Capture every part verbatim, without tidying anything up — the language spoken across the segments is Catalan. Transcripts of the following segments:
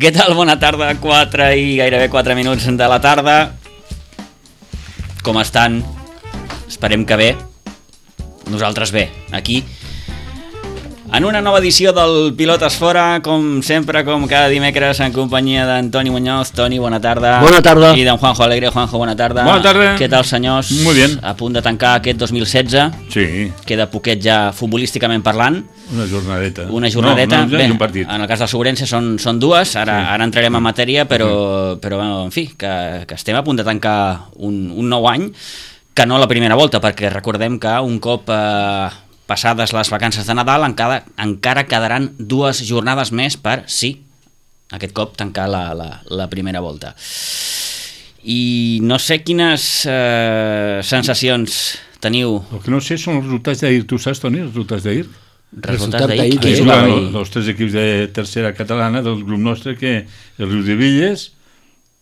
Què tal? Bona tarda, quatre i gairebé quatre minuts de la tarda. Com estan? Esperem que bé. Nosaltres bé, aquí en una nova edició del Pilotes Fora, com sempre, com cada dimecres, en companyia d'Antoni Muñoz. Toni, bona tarda. Bona tarda. I d'en Juanjo Alegre. Juanjo, bona tarda. Bona tarda. Què tal, senyors? Muy bien. A punt de tancar aquest dos mil setze. Sí. Queda poquet ja futbolísticament parlant. Una jornadeta. Una jornadeta. No, no, bé, un partit. en el cas del Sobrense són, són dues. Ara, Sí. ara entrarem en matèria, però, però en fi, que, que estem a punt de tancar un, un nou any, que no la primera volta, perquè recordem que un cop eh, passades les vacances de Nadal encara, encara quedaran dues jornades més per, sí, aquest cop tancar la, la, la primera volta. I no sé quines eh, sensacions teniu. El que no sé són els resultats d'ahir. Tu saps, Toni, els resultats d'ahir? Resultats d'ahir. d'ahir, Qui Ahir jugava juguen ahir? els tres equips de tercera catalana del grup nostre, que el Riudebitlles...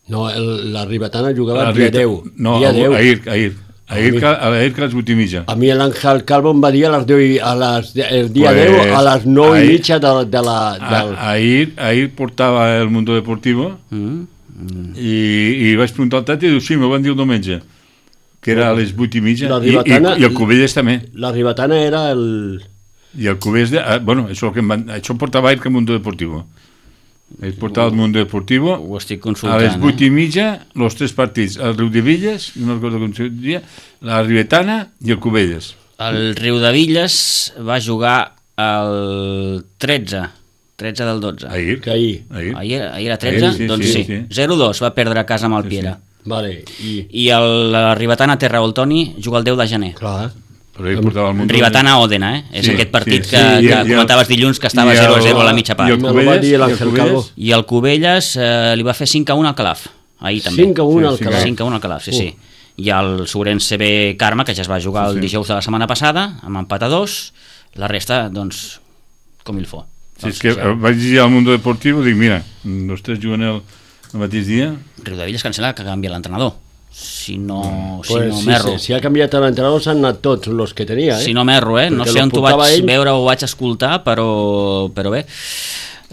No, el, la Ribetana jugava la el dia Ribeta- deu. No, dia deu. ahir, ahir. Ahir, mi- que, ahir que a les vuit i mitja. A mi l'Àngel Calvo em va dir a les deu, i- a les, el dia Pues, deu a les nou i ahir- mitja de, de la... Del... A, ahir, ahir portava el Mundo Deportivo Mm? Mm. i, i vaig preguntar al Tati i diu, sí, m'ho van dir el diumenge, que era a les vuit i mitja, La i, i, Ribetana- i el Cubelles també. La Ribetana era el... I el Cubelles, de, ah, bueno, això, que em van, això portava ahir que el Mundo Deportivo. Ahir portava el Mundo Deportivo. Ho estic A consultant. les vuit eh? i mitja, els tres partits, el Riudebitlles, no recordo com se diria, la Ribetana i el Cubelles. El Riudebitlles va jugar el tretze, tretze del dotze. Ahir. Que ahir. Ahir. Ahir, ahir era tretze? Ahir, sí, doncs sí, sí, sí. zero dos va perdre a casa amb el Piera. Vale, i... I el, la Ribetana Terra Oltoni juga el deu de gener. Clar. Però ahir portava el Mundo. Ribetana Òdena, eh? És Sí, aquest partit sí, que, sí, i- que i el- comentaves dilluns que estava i el- zero a zero a la mitja i part. el Me lo va Cubelles, dir i el l'Àngel Cubelles. Calvo. I el Cubelles eh, li va fer cinc a un al Calaf, ahir també. cinc a un Sí, al cinc a Calaf. cinc a un al Calaf, sí, Uh. sí. I el Sobrense B Carme, que ja es va jugar el Sí, sí. dijous de la setmana passada, amb empat a dos, la resta, doncs, com il fo. Sí, és que vaig dir al Mundo Deportivo, dic, mira, els tres juguen el, el mateix dia. Riudebitlles cancel·la que canvia l'entrenador. Si no, si Pues, no sí, m'erro. sí, si ha canviat l'entrenador s'han anat tots els que tenia, eh? Si no m'erro, eh? No Perquè sé lo on t'ho portava vaig ell. veure o ho vaig escoltar, però, però bé.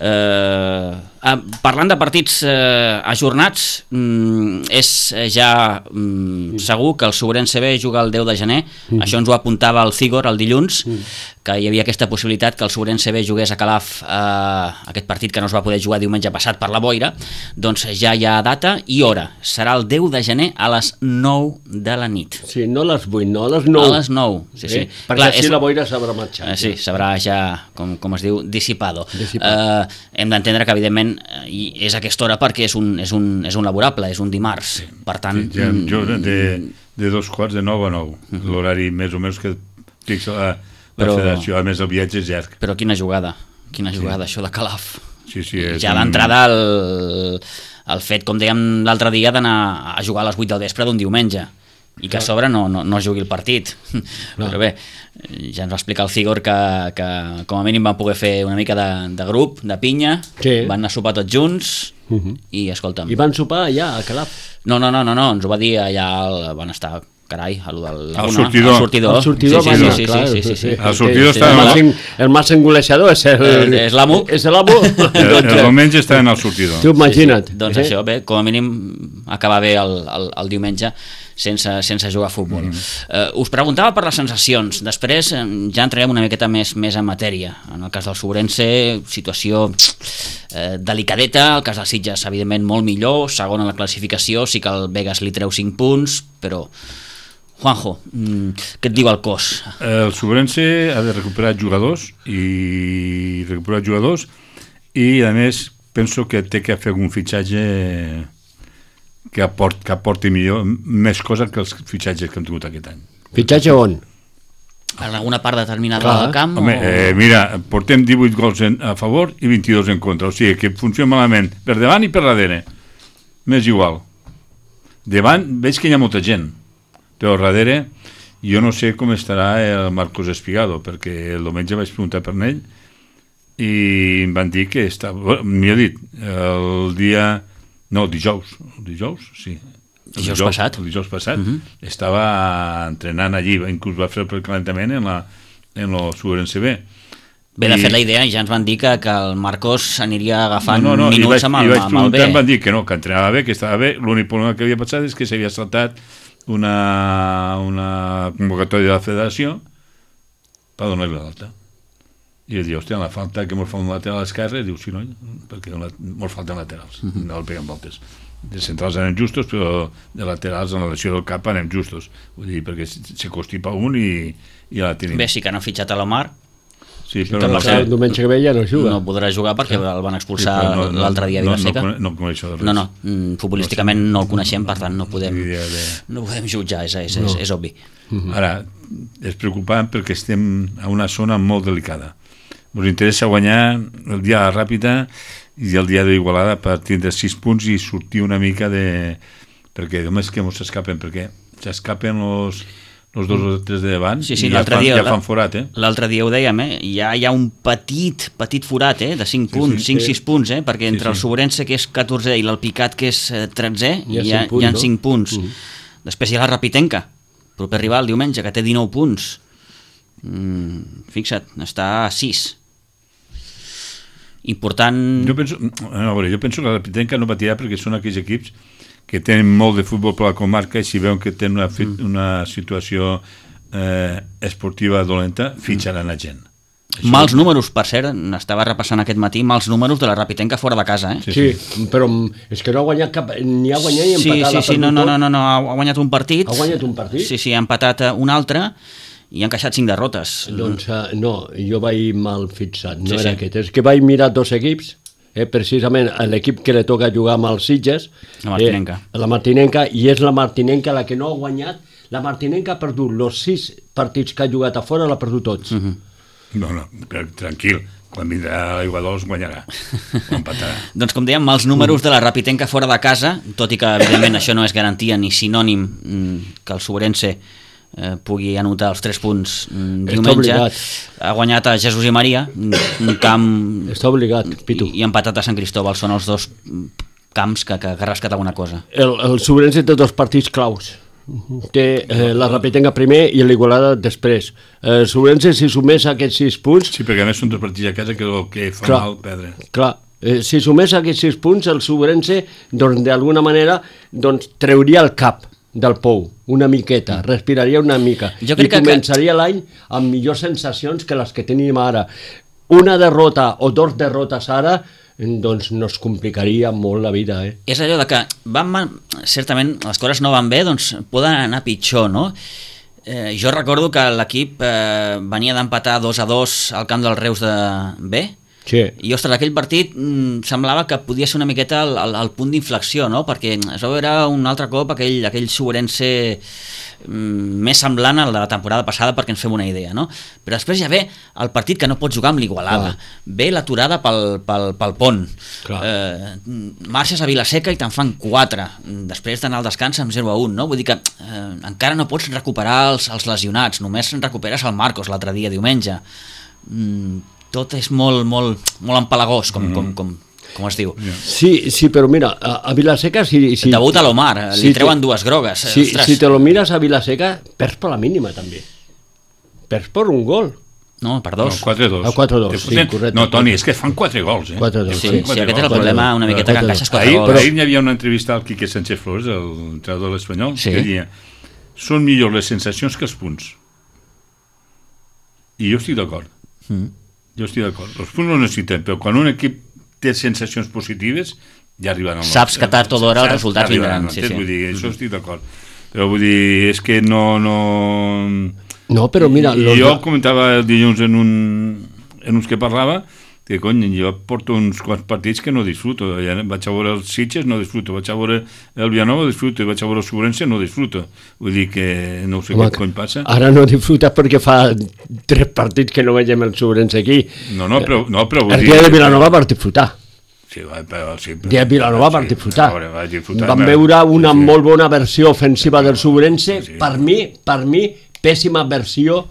Eh, ah, parlant de partits eh, ajornats, mm, és eh, ja mm, segur que el Sobrense B juga el deu de gener. Mm. Això ens ho apuntava el Cigor el dilluns, que hi havia aquesta possibilitat que el Sobrense B jugués a Calaf eh, aquest partit que no es va poder jugar diumenge passat per la boira. Doncs ja hi ha data i hora. Serà el deu de gener a les nou de la nit. Sí, no a les vuit, no a les nou. A les nou, sí, sí. Eh? Perquè Clar, així és- la boira s'haurà marxat. Eh, sí, s'haurà ja, com, com es diu, dissipado. Dissipat. Eh, hem d'entendre que, evidentment, eh, i és a aquesta hora perquè és un, és un, és un laborable, és un dimarts. Per tant... Sí, ja, jo de, mm, de dos quarts de nou a nou, l'horari més o menys que fixa la, la Però- federació, a més el viatge és llarg. Però quina jugada, quina jugada, això de Calaf. Sí, sí, és Ja un- d'entrada el, el fet, com dèiem l'altre dia, d'anar a jugar a les vuit del vespre d'un diumenge i que a sobre no, no, no jugui el partit. Però bé, ja ens va explicar el Cigor que, que com a mínim van poder fer una mica de, de grup, de pinya, Sí. van anar a sopar tots junts Uh -huh. i escolta'm... I van sopar allà, a Calaf. No, no, no, no, no, ens ho va dir allà, el, van estar, carai, a lo del Al sortidor. Al sortidor. El sortidor sí, va sí, anar, sí, sí, clar, sí, sí, sí. Al sortidor Sí, estava- el, màxim, el màxim golejador és el... Eh, és l'amo. És l'amo. El, el diumenge està en el sortidor. Tu imagina't. Sí, sí. Doncs eh? això, bé, com a mínim acabar bé el, el, el diumenge sense, sense jugar a futbol. Mm. Uh, us preguntava per les sensacions, després eh, ja entrarem una miqueta més, més en matèria. En el cas del Sobrense, situació eh, delicadeta, el cas del Sitges evidentment molt millor, segon en la classificació, sí que el Vegas li treu cinc punts, però Juanjo, mm, què et diu el cos? El Sobrense ha de recuperar jugadors i recuperar jugadors i a més penso que té que fer algun fitxatge que, aport, que aporti millor, més cosa que els fitxatges que hem tingut aquest any. Fitxatge on? En alguna part determinada Clar. del camp? Home, o... eh, mira, portem divuit gols en, a favor i vint-i-dos en contra, o sigui que funciona malament per davant i per darrere, m'és igual. Davant veig que hi ha molta gent, però darrere jo no sé com estarà el Marcos Espigado, perquè el diumenge vaig preguntar per ell i em van dir que estava, m'hi ha dit, el dia, no, el dijous, el dijous, sí, el Dijous passat. el dijous passat, Mhm. estava entrenant allí, inclús va fer el calentament en la en el Sobrense B. Bé, de I- fet, la idea ja ens van dir que, que el Marcos aniria agafant no, no, i minuts vaig, amb i el, vaig amb el preguntar, em B. van dir que no, que entrenava bé, que estava bé. L'únic problema que havia passat és que s'havia saltat una, una convocatòria de la federació per donar-li l'alta. I ell diu, hòstia, la falta que mos fa un lateral a l'esquerra, diu, sí, no, perquè mos falten laterals, uh -huh. no el peguen voltes. De centrals anem justos, però de laterals en la lesió del cap anem justos. Vull dir, perquè se constipa un i, i ja la tenim. Bé, sí que no ha fitxat a l'Omar, Sí, Però però no el sé. diumenge que ve ja no juga. no podrà jugar perquè el van Sí, expulsar però no- no- l'altre dia a no- Vilaseca. No, no, no coneixo de res. No, no, mm, futbolísticament no el coneixem, per tant no podem, Ni idea de- no podem jutjar, és, és, és, és obvi. Ara, és preocupant perquè estem a una zona molt delicada. Ens interessa guanyar el dia de la Ràpita i el dia d'Igualada per tindre sis punts i sortir una mica de... perquè només que ens escapen, perquè s'escapen els, els dos o tres de davant Sí, sí, i ja l'altre fan, dia- ja fan forat, eh? L'altre dia ho dèiem, eh? Ja hi ha un petit, petit forat, eh? De cinc punts, sí, cinc sí. sis punts, eh? Perquè entre Sí, el sí. Sobrense, que és catorzè, i l'Alpicat, que és eh, tretzè, Hi ha hi ha, cinc punts, hi ha no? cinc punts. Mm. Després hi ha la Rapitenca, proper rival, diumenge, que té dinou punts. Mm, fixa't, està a sis. Important... Jo penso, a veure, jo penso que la Pitenca no patirà perquè són aquells equips que tenen molt de futbol per la comarca i si veuen que tenen una, mm. una situació eh, esportiva dolenta, fitxaran a gent. Això- Mals números, per cert, estava repassant aquest matí, mals números de la Rapitenca fora de casa, eh? Sí, Sí, però mm, és que no ha guanyat cap... ni ha guanyat ni Sí, empatat. sí, ha sí, perdut no, no, tot. no, no, no, ha guanyat un partit. Ha guanyat un partit? Sí, sí, ha empatat eh, un altre i ha encaixat cinc derrotes. Doncs uh, no, jo vaig mal fixat, no Sí, era sí. aquest. És que vaig mirar dos equips, eh, precisament l'equip que li toca jugar amb els Sitges, La Martinenca. Eh, la Martinenca, i és la Martinenca la que no ha guanyat. La Martinenca ha perdut els sis partits que ha jugat a fora, l'ha perdut tots. Mhm. No, no, però tranquil, quan vindrà l'Aigua Dols guanyarà, o empatarà. Doncs com dèiem, mals números de la Rapitenca fora de casa, tot i que evidentment això no és garantia ni sinònim mm, que el Sobrense eh, pugui anotar els tres punts mm, Està diumenge. obligat. Ha guanyat a Jesús i Maria, un un camp, Està obligat, Pitu. i, i empatat a Sant Cristóbal. Són els dos mm, camps que, que, que rascat alguna cosa. El, el Sobrense té dos partits claus. Té eh, la Rapitenca primer i l'Igualada després. El Sobrense, si sumés aquests sis punts, Sí, perquè a més són dos partits a casa que el que fa Clar. mal perdre. clar, eh, si sumés aquests sis punts, el Sobrense, doncs, d'alguna manera, doncs, treuria el cap del pou, una miqueta, respiraria una mica, Jo i crec que- començaria l'any amb millors sensacions que les que tenim ara. Una derrota o dos derrotes ara, doncs nos complicaria molt la vida, eh? És allò de que van, mal- certament les coses no van bé, doncs poden anar pitjor, no? Eh, jo recordo que l'equip eh, venia d'empatar dos a dos al camp dels Reus de B, Sí. i, ostres, aquell partit mm, semblava que podia ser una miqueta el, el, el punt d'inflexió, no? Perquè es va veure un altre cop aquell, aquell Sobrense mm, més semblant al de la temporada passada, perquè ens fem una idea, no? Però després ja ve el partit que no pot jugar amb l'Igualada, ve l'aturada pel, pel, pel pont, Clar. eh, marxes a Vilaseca i te'n fan quatre, després d'anar al descans amb zero a un, no? Vull dir que eh, encara no pots recuperar els, els lesionats, només recuperes el Marcos l'altre dia, diumenge. Mm, tot és molt, molt, molt empalagós, com, mm. com, com, com es diu. Yeah. Sí, sí, però mira, a, a Vilaseca... Si, si, Debuta l'Omar, li si treuen te- dues grogues. Si, Ostres. si te lo miras a Vilaseca, perds per la mínima, també. Perds per un gol. No, per No, dos. quatre a dos. A quatre a dos, Te sí, foten- correcte. No, Toni, és que fan quatre gols, eh? quatre a dos, Sí, sí. sí, aquest és el gols. problema, una miqueta que Quatre encaixes quatre Ahir, gols. ahir hi havia una entrevista al Quique Sánchez Flores, el entrenador de l'Espanyol, Sí. que deia són millors les sensacions que els punts. I jo estic d'acord. Mm. Jo estic d'acord. Els punts no necessitem, però quan un equip té sensacions positives, ja arribaran. Saps que tard o d'hora els Saps que resultats arribaran, vindran, sí, entens? sí. Vull dir, això estic d'acord. Però vull dir, és que no... no... No, però mira... I los- jo comentava el dilluns en, un, en uns que parlava que, cony, jo porto uns quants partits que no disfruto. Ja vaig a veure els Sitges, no disfruto. Vaig a veure el Vilanova, disfruto. I vaig a veure el Sobrense, no disfruto. Vull dir que no sé Home, què cony passa. Ara no disfruta perquè fa tres partits que no veiem el Sobrense aquí. No, no, però, no, però vull El dir... dia de Vilanova per disfrutar. Sí, va, però, sí, El dia de Vilanova per disfrutar. A veure, vaig disfrutar. Vam va. veure una Sí, sí. molt bona versió ofensiva del Sobrense. Sí, sí. Per mi, per mi, pèssima versió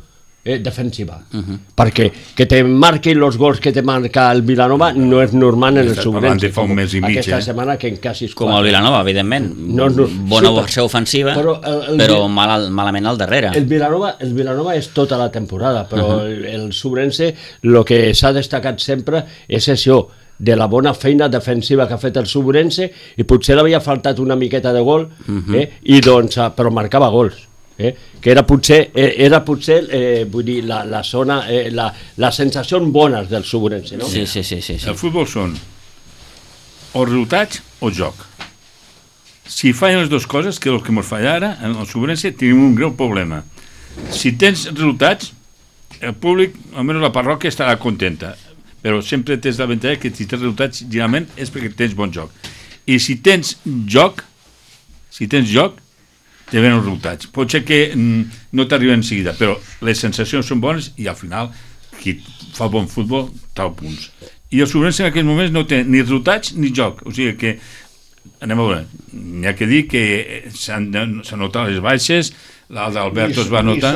eh, defensiva. Uh -huh. Perquè que te marquin els gols que te marca el Vilanova no és normal en el Subrense. Fa un mes i mig, aquesta eh? setmana que en quasi com el Vilanova, evidentment. No, no, Bona sí, versió ofensiva, però, el, el, però mal, malament al darrere. El Vilanova, el Vilanova és tota la temporada, però uh -huh. el, el Subrense, el que s'ha destacat sempre és això, de la bona feina defensiva que ha fet el Subrense, i potser l'havia faltat una miqueta de gol, uh -huh. eh, i doncs, però marcava gols. Eh? Que era potser, eh, era potser eh, vull dir, la, la zona, eh, la, les sensacions bones del Subrense, no? Sí, sí, sí, sí, sí. El futbol són o resultats o joc. Si fallen les dues coses, que és el que ens falla ara, en el Subrense tenim un greu problema. Si tens resultats, el públic, almenys la parròquia, estarà contenta, però sempre tens l'avantatge que si tens resultats, generalment és perquè tens bon joc. I si tens joc, si tens joc, te venen els resultats. Pot ser que mm, no t'arriben en seguida, però les sensacions són bones i al final qui fa bon futbol trau punts. I el Subrense en aquells moments no té ni resultats ni joc, o sigui que anem a veure, n'hi ha que dir que s'han notat les baixes, la d'Alberto es va notar,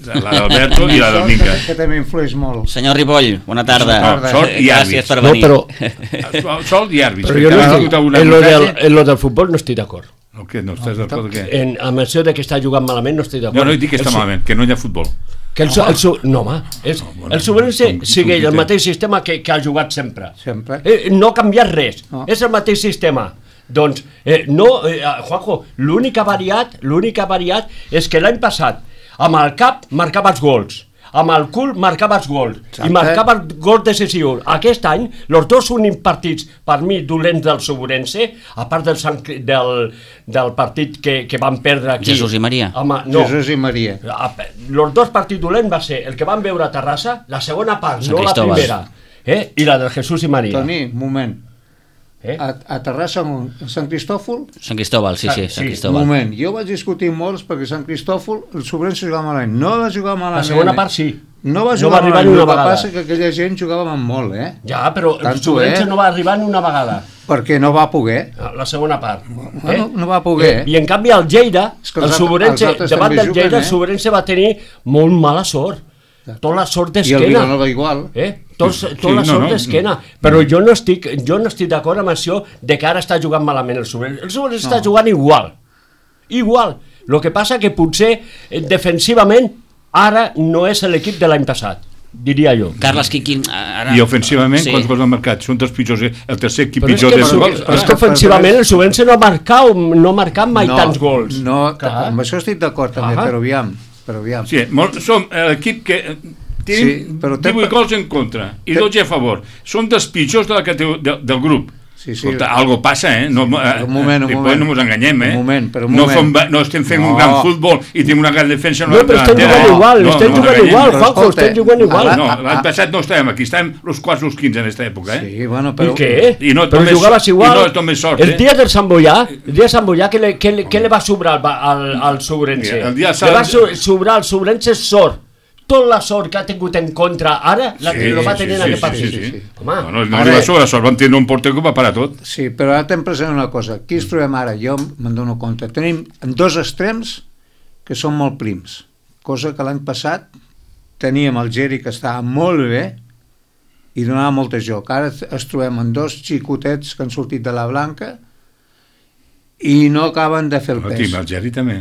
la d'Alberto i la del Minca, que també influeix molt. Senyor Ripoll, bona tarda. No, sol i àrbits. Gràcies per No, venir. però, sol i àrbits. però jo no estic, en lo del, en lo del futbol no estic d'acord. O què? No estàs d'acord? Què? En, amb això de que està jugant malament no estic d'acord. No, no dic que està El su- malament, que no hi ha futbol. Que el, su- el, su- no, home, és, No, bueno, el Subrense com- com sigue qui el té. mateix sistema que, que ha jugat sempre. Sempre. Eh, no ha canviat res, No. és el mateix sistema. Doncs, eh, no, eh, Juanjo, l'únic que ha variat, l'únic que ha variat és que l'any passat, amb el cap marcava els gols, amb el cul marcava els gols, Exacte. i marcava els gols decisius. Aquest any, els dos únics partits, per mi, dolents del Subrense, a part del, Sant, del, del partit que, que van perdre aquí... Jesús i Maria. Home, no, Jesús i Maria. els dos partits dolents va ser el que van veure a Terrassa, la segona part, Sant no la Cristóbal. primera, eh? i la del Jesús i Maria. Toni, un moment. Eh? A, a Terrassa, on? A Sant Cristòfol? Sant Cristóbal, sí, sí, Sí, Sant Un Cristóbal. moment. Jo vaig discutir molts perquè Sant Cristòfol, el Subrense jugava malament. No va jugar malament. La segona part sí. No va No jugar va arribar malament. ni una El que vegada. passa que aquella gent jugava molt, eh? Ja, però el Tanto, Subrense eh? no va arribar ni una vegada, Perquè no va poder. la segona part. Bueno, no va poder. I, I en canvi el Lleida, És que el els altres- Subrense, els altres davant també del juguen, Lleida, el eh? Subrense va tenir molt mala sort. Tota la sort I el d'esquena. Vilanova igual. Eh? Tot, Sí, tota la no, sort no. d'esquena. Però jo no estic, jo no estic d'acord amb això de que ara està jugant malament el Subrense. El Subrense està jugant igual. Igual. El que passa que potser eh, defensivament ara no és l'equip de l'any passat, diria jo. Carles Quiquín, ara... I ofensivament, Sí. quants gols han marcat? Són dels pitjors, el tercer equip Però és pitjor que, de el, gols. és que ofensivament el Subrense no ha marcat, no ha marcat mai tants gols. No, Clar. amb això estic d'acord també, Ah. però aviam. Però aviam. Sí, molt, som l'equip que eh, tenim Sí, però té- divuit gols en contra i té- dotze a favor. Som dels pitjors de la catego- de, del grup. Sí, sí. Escolta, algo passa, eh? No, eh, Un moment, un Ripoll, moment. no ens enganyem, eh? Un moment, però un no, moment. fem, no estem fent No. un gran futbol i tenim una gran defensa. No, però estem delantera. jugant igual, No, estem no jugant enganyem. igual, però Juanjo, escolta, estem jugant igual. ara- No, Ah, l'any ah. passat no estàvem aquí, estàvem els quarts o els quinze en aquesta època, eh? Sí, bueno, I però... què? I no però només- jugaves igual. i no és només sort, el eh? dia del Sant Boià, el dia de Sant Boià, què, le, què, le, què le va sobrar al, al, al Subrense? Mira, el dia de Le va Sant- so- sobrar al Subrense sort. Tota la sort que ha tingut en contra ara, la Sí, que lo va sí, tenir en sí, aquest sí, partit. sí, sí. Home, No, no, no Ara- arriba sobre la sort, vam tenir un porter que va parar tot. Sí, però ara tenim present una cosa. Aquí ens trobem ara, jo me'n dono compte. Tenim dos extrems que són molt prims, cosa que l'any passat teníem el Geri que estava molt bé i donava molt de joc. Ara es trobem amb dos xicotets que han sortit de la blanca i no acaben de fer el No, pes. tenim el Geri també.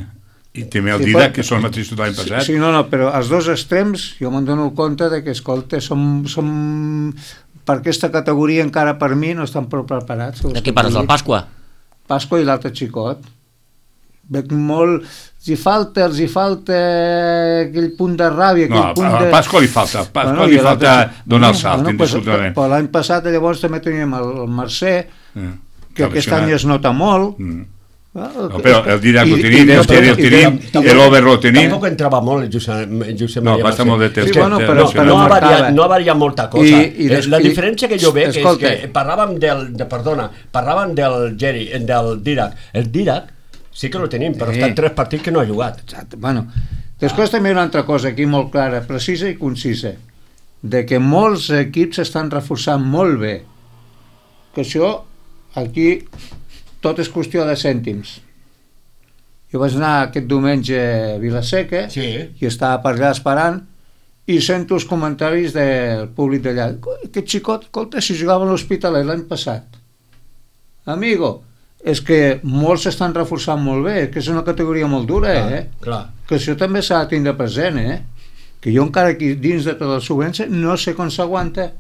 I també el Sí, Didac, però- que són el mateix tot l'any passat. Sí, no, no, però els dos extrems jo me'n dono compte de que, escolta, som, som per aquesta categoria encara per mi no estan prou preparats. De què parles, del Pasqua? Pasqua i l'altre xicot. Veig molt... Els hi falta, els hi falta aquell punt de ràbia, aquell No, punt a de... Pasqua li falta, a Pasqua Bueno, li i l'altre falta xic- donar el No, salt, bueno, pues, indiscutiblement. però l'any passat llavors també teníem el, el Mercè, Eh, que està aquest lesionat. any es nota molt. Mm. Ah, No, però el Didac ho i- tenim, i el de- Geri el i de- tenim, tampoc- l'Over ho tenim. Tampoc entrava molt el Josep, Josep No, Maria va estar Mercè. molt de temps. És que- bueno, té- però- no, té- però no ha, marcava. variat, no ha variat molta cosa. I- I, i des- la i- diferència que jo veig escolta. és que parlàvem del, de, perdona, parlàvem del Geri, del Didac. El Didac sí que lo tenim, però Sí. està en tres partits que no ha jugat. Exacte. Bueno, després també hi ha una altra cosa aquí molt clara, precisa i concisa, de que molts equips estan reforçant molt bé, que això aquí tot és qüestió de cèntims. Jo vaig anar aquest diumenge a Vilaseca Sí. i estava per allà esperant i sento els comentaris del públic d'allà. Aquest xicot, escolta, si jugava a l'Hospitalet l'any passat. Amigo, és que molts s'estan reforçant molt bé, que és una categoria molt dura, Clar, eh? clar. Que això també s'ha de tindre present, eh? Que jo encara aquí dins de tot el Subvense no sé com s'aguanta.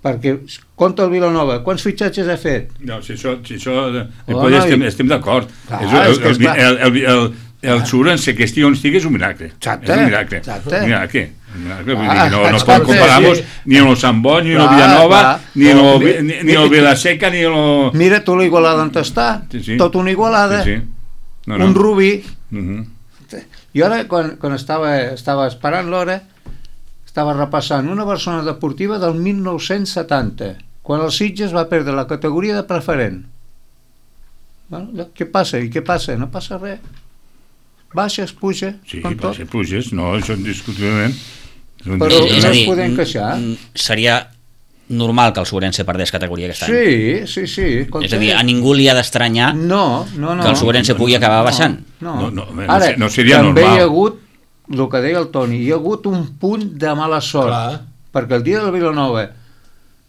Perquè, compta el Vilanova, quants fitxatges ha fet? No, si això, si això eh, Oh, oh, no, estem, i- estem d'acord. Clar, És el, és que el, és clar. el, el, el, el Subrense que estigui on estigui és un miracle. Exacte, És un miracle. exacte. Un miracle. Un miracle. Vull Ah, dir, no, no escolta, podem comparar sí. ni amb el Sant Boi, ni amb el Clar, Villanova, clar. ni amb No, el, mi- ni, ni amb el Vilaseca, ni amb el... Mira tu la Igualada on està, Sí, sí. tot una Igualada, Sí, sí. No, no. un Rubí. Uh -huh. I ara, quan, quan estava, estava esperant l'hora, estava repassant una persona deportiva del mil nou-cents setanta, quan el Sitges va perdre la categoria de preferent. Bueno, què passa? I què passa? No passa res. Baixes, puja, Sí, com per tot. ser pluges, no, això indiscutiblement. Però És no a es dir, podem queixar. mm, seria normal que el Sobrense perdés categoria aquest any. Sí, sí, sí. Escolta. És a dir, a ningú li ha d'estranyar No, no, no. que el Sobrense pugui acabar baixant. No, No, no, home, no Ara, se- no seria també normal. hi ha hagut, el que deia el Toni, hi ha hagut un punt de mala sort. Clar. Perquè el dia del Vilanova,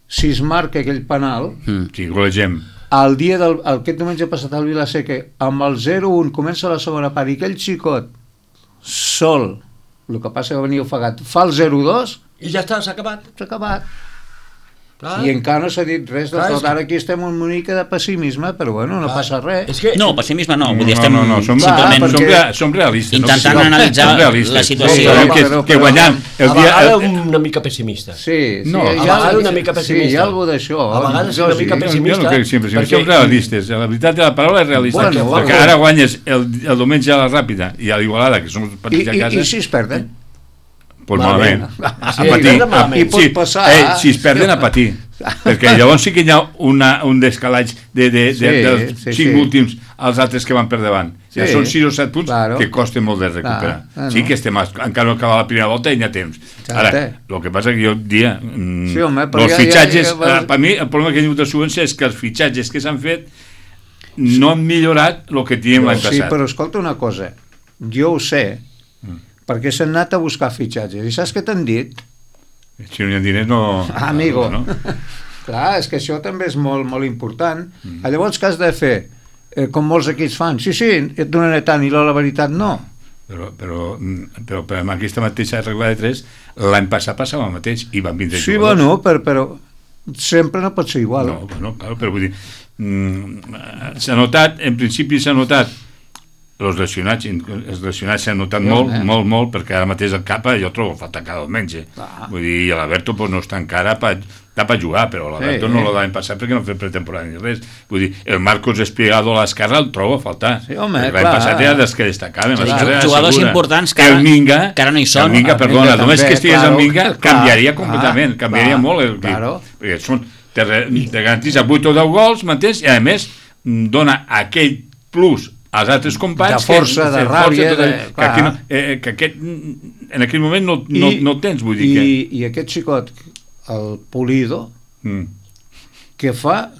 si es marca aquell penal, Mm. Sí, golegem. el dia del, el, aquest diumenge passat al Vilaseca, amb el zero un comença la segona part i aquell xicot sol, el que passa que venia ofegat, fa el zero dos, I ja està, s'ha acabat. s'ha acabat. Clar. I encara no s'ha dit res de Clar, és tot. que- Ara aquí estem amb una mica de pessimisme, però bueno, no Clar. passa res. És que... No, pessimisme no, vull dir, no, estem no, no, som, simplement Clar, som, perquè- rea, som realistes. intentant no? analitzar Som realistes. la situació. Sabem que, Però- que però- guanyant el a dia... vegades El, una mica pessimista. Sí, sí, No, hi a ha- vegades una mica pessimista. Sí, hi ha alguna d'això. A vegades Jo una sí. mica jo, pessimista. jo no crec sempre, sempre perquè- som realistes. La veritat de la paraula és realista. Bueno, perquè bueno. ara guanyes el, el diumenge a la Ràpida i a l'Igualada, que som els I, partits a i, casa, I si es perden? pues Malament. malament. A, Sí, a patir. malament. A- I pot sí, passar. eh, si es perden, a patir. Perquè llavors sí que hi ha una, un descalatge de, de, de, Sí, dels sí, cinc sí. últims als altres que van per davant. Ja Sí. són sis o set punts Claro. que costen molt de recuperar. Clar, ah, Sí no. que estem, encara no acaba la primera volta i n'hi ha temps. Exacte. Ara, el que passa que jo dia... Mm, Sí, home, però els ja- fitxatges, ja- ja- eh, per mi el problema que he tingut de subvenció és que els fitxatges que s'han fet no han millorat el que teníem l'any Sí, passat. però escolta una cosa. Jo ho sé, perquè s'han anat a buscar fitxatges. I saps què t'han dit? Si no hi ha diners no... Ah, amigo. No? Clar, és que això també és molt, molt important. Mm. Llavors, què has de fer? Eh, com molts equips fan. Sí, sí, et donaré tant, i la, la veritat no. Però, però, mm, però, però amb aquesta mateixa regla de tres, l'any passat passava el mateix i van vindre Sí, jugadors. bueno, però, però sempre no pot ser igual. No, bueno, claro, però vull dir, mm, s'ha notat, en principi s'ha notat els lesionats, els lesionats s'han notat Sí, molt, home. molt, molt, perquè ara mateix el Capa jo trobo falta cada diumenge. Clar. Vull dir, i l'Alberto pues, no està encara per, està per jugar, però l'Alberto Sí. no l'any passat perquè no ha fet pretemporada ni res. Vull dir, el Marcos Espigado a l'esquerra el trobo a faltar. Sí, home, L'any clar. passat era dels que destacaven. Sí, l'esquerra era jugadors segura. importants que ara- el Minga, que ara no hi són. El Minga, El perdona, Minga només també, que estigués claro, el Minga clar, canviaria clar, completament, canviaria clar, molt el equip. claro. Perquè són, te, re- te garantitza vuit o deu gols, m'entens? I a més mm, dona aquell plus als altres companys De força, que, de força, ràbia, tot, de- que, clar. aquí no, eh, que aquest, mm, en aquell moment no, no, no tens, vull dir i, que... I aquest xicot, el Pulido, Mm. que fa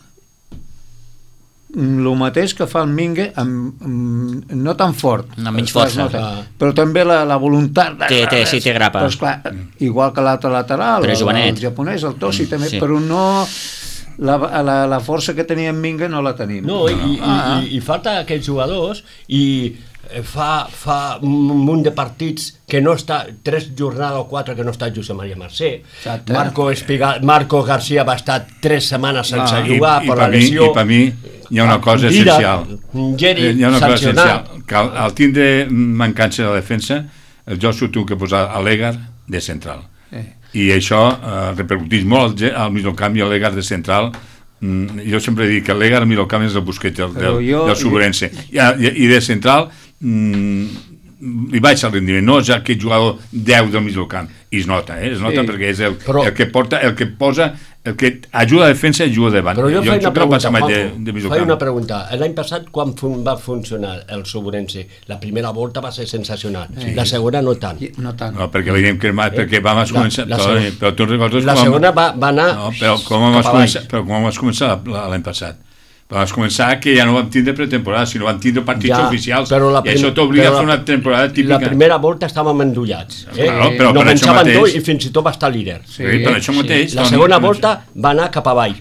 el mateix que fa el Mingue amb, amb, no tan fort, Amb menys es nota, força. però també la, la voluntat de, Té- té- sí, té grapa. però esclar, igual que l'altre lateral, Però és el, jovenet. el japonès, el Tosi també, sí. però no la, la, la força que tenia en Mingue no la tenim. No, i, i, Ah. i, i falta aquests jugadors i eh, fa, fa un munt de partits que no està, tres jornades o quatre que no està Josep Maria Mercè. Exacte. Marco, Espiga, Marco García va estar tres setmanes sense Ah. jugar I, per i la per mi, lesió. I per mi hi ha una cosa Mira, essencial. Geri, Eh, hi ha una cosa sancionat. essencial. Que al, al tindre mancança de defensa, el Josu té que posar a l'Egar de central. Eh. I això eh, repercuteix molt al, ge- al migcamp i a l'Egar de central. Mm, jo sempre dic que l'Egar al migcamp és el Busquets del, Però del, jo- del Sobrense. I, i, I de central mm, li baixa el rendiment, no és aquest jugador deu del migcamp, i es nota, eh? es nota Sí. perquè és el, Però- el que porta, el que posa, el que ajuda a la defensa i ajuda davant. Però jo, jo faig una no passa pregunta, mai de, Juanjo, de faig migcamp. una pregunta. L'any passat, quan fun, va funcionar el Sobrense? La primera volta va ser sensacional. Sí. La segona no tant. I- No tant. No, perquè veiem que más, perquè vam La- començar... la però, segona- però tu recordes La com vam- segona va, va anar No, però com cap vas avall. començar, però com vas començar la- l'any passat? Vas començar que ja no vam tindre pretemporada, sinó vam tindre partits Ja, oficials, però la i això prim- t'obliga a però fer la- una temporada típica. La primera volta estàvem endollats. Eh? Claro, però no per això pensaven mateix- tot i fins i tot va estar líder. Sí, per això mateix. La Toni, segona per volta va anar cap avall.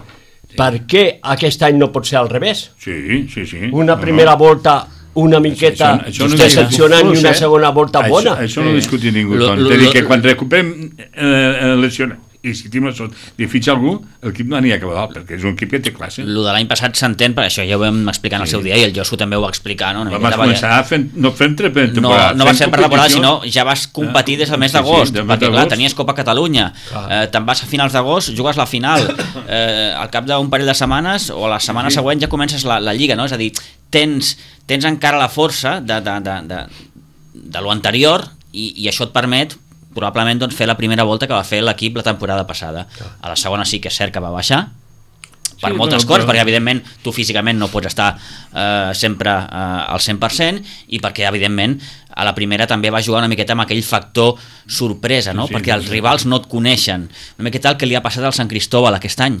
Per què aquest any no pot ser al revés? Sí, sí, sí. Una No, primera no. volta una miqueta Això- això no decepcionant discutim, i una eh? segona volta bona. Això, això no ho discutim ningú, Lo- Toni. lo- T'he dit lo- que quan recuperem eh, lesió i si tenim la sort de fitxar algú, l'equip no anirà cap a dalt, perquè és un equip que té classe. Lo de l'any passat s'entén, perquè això ja ho vam explicar en el seu dia i el Josu també ho va explicar, no? Una Vam miqueta, començar fent, no fent no, temporada. no va ser per temporada, competició. sinó ja vas competir des del mes Sí, sí, d'agost, del mes perquè clar, d'agost. tenies Copa Catalunya, eh, te'n vas a finals d'agost, jugues la final, eh, al cap d'un parell de setmanes o la setmana Sí. següent ja comences la, la Lliga, no? És a dir, tens, tens encara la força de, de, de, de, de lo anterior i, i això et permet probablement doncs, fer la primera volta que va fer l'equip la temporada passada. A la segona sí que és cert que va baixar, per Sí, moltes però- coses, però- perquè evidentment tu físicament no pots estar eh, sempre eh, al cent per cent i perquè evidentment a la primera també va jugar una miqueta amb aquell factor sorpresa, no? Sí, sí, perquè els sí. rivals no et coneixen, una miqueta el que li ha passat al Sant Cristóbal aquest any.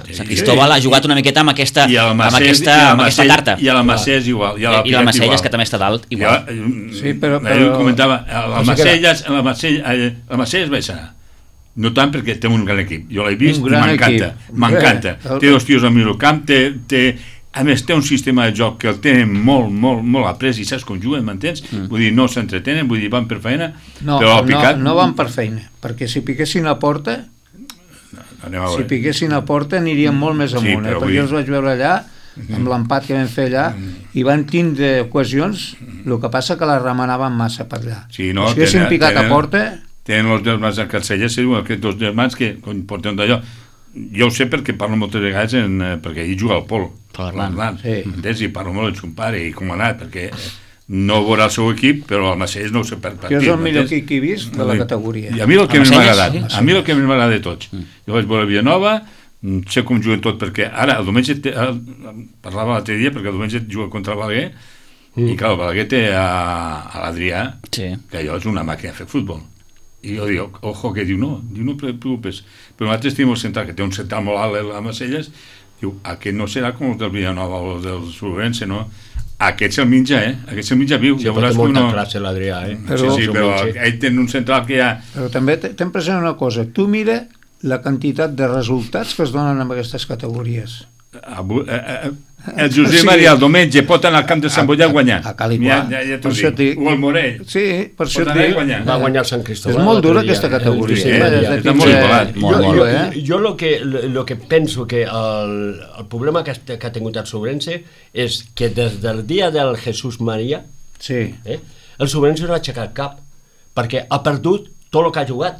El Sant Cristóbal ha jugat una miqueta amb aquesta, I al amb Macés, aquesta, i al amb aquesta Macés- carta. I a la Macés igual. I a la I la Pinet Macelles, igual. que també està dalt, Ja, igual. eh, Sí, però- ahir però- comentava, el o sigui que Macelles, el Macelles, el Macelles vaig anar. No tant perquè té un gran equip. Jo l'he vist Un i gran m'encanta. equip. M'encanta. Bé, el- Té dos tios al mig del camp, té, té, a més té un sistema de joc que el tenen molt, molt, molt après i saps com juguen, m'entens? Mm. Vull dir, no s'entretenen, vull dir, van per feina, No, però al no, picat... no van per feina, perquè si piquessin a porta, Anem a si veure. piquessin a porta anirien molt més Sí, amunt, però eh? vull perquè dir- jo els vaig veure allà, amb l'empat que vam fer allà, i van tindre ocasions, el que passa que les remanaven massa per allà. Sí, no, si haguessin tenen- picat a tenen- porta, Tenen els germans a Carcelles, sí, aquests dos germans que quan porten d'allò. Jo ho sé perquè parlo moltes vegades, en, eh, perquè ell juga al Pol. Pol Arlan. Sí. Entens? I parlo molt amb son pare i com ha anat, perquè eh, no veurà el seu equip, però el Macelles no ho sé per partit. jo és el millor m'entens? equip que he vist de la categoria. I a mi el que El més m'ha Macelles, agradat, sí. a mi el que més m'ha agradat de tots. Jo vaig veure Villanova, mm, sé com juguen tot, perquè ara el diumenge té, el, parlava l'altre dia, perquè el diumenge juga contra el Balaguer, i clar, el Balaguer té a, a l'Adrià, Sí. que allò és una màquina de fer futbol. I jo dic, ojo, que diu, no, diu, no te preocupes. Però nosaltres tenim el central, que té un central molt alt a Macelles, diu, aquest no serà com els del Villanova o els del Solvense, no? Aquest se'l menja, eh? Aquest se'l menja viu. Sí, Ja però veuràs té que molta no... classe l'Adrià, eh? Però- sí, sí, però ell té un central que ja... Però també te- ten present una cosa, tu mira la quantitat de resultats que es donen amb aquestes categories. Avui, eh, eh, el Josep Maria el diumenge pot anar al camp de Sant Boià a guanyar. A cal i ja, qual. ja, ja t'ho Per això dic. et dic- O el Morell. Sí, per això Pot et anar a dic... guanyar. Va guanyar el Sant Cristóbal. És molt dura l'altre dia, aquesta eh? categoria. Sí, eh? Maria. Des de Està molt quinze- igualat. Molt, jo, molt. jo, eh? jo lo que, lo que penso que el, el problema que, que ha tingut el Sobrense és que des del dia del Jesús Maria Sí. eh, el Sobrense no ha aixecat el cap perquè ha perdut tot el que ha jugat,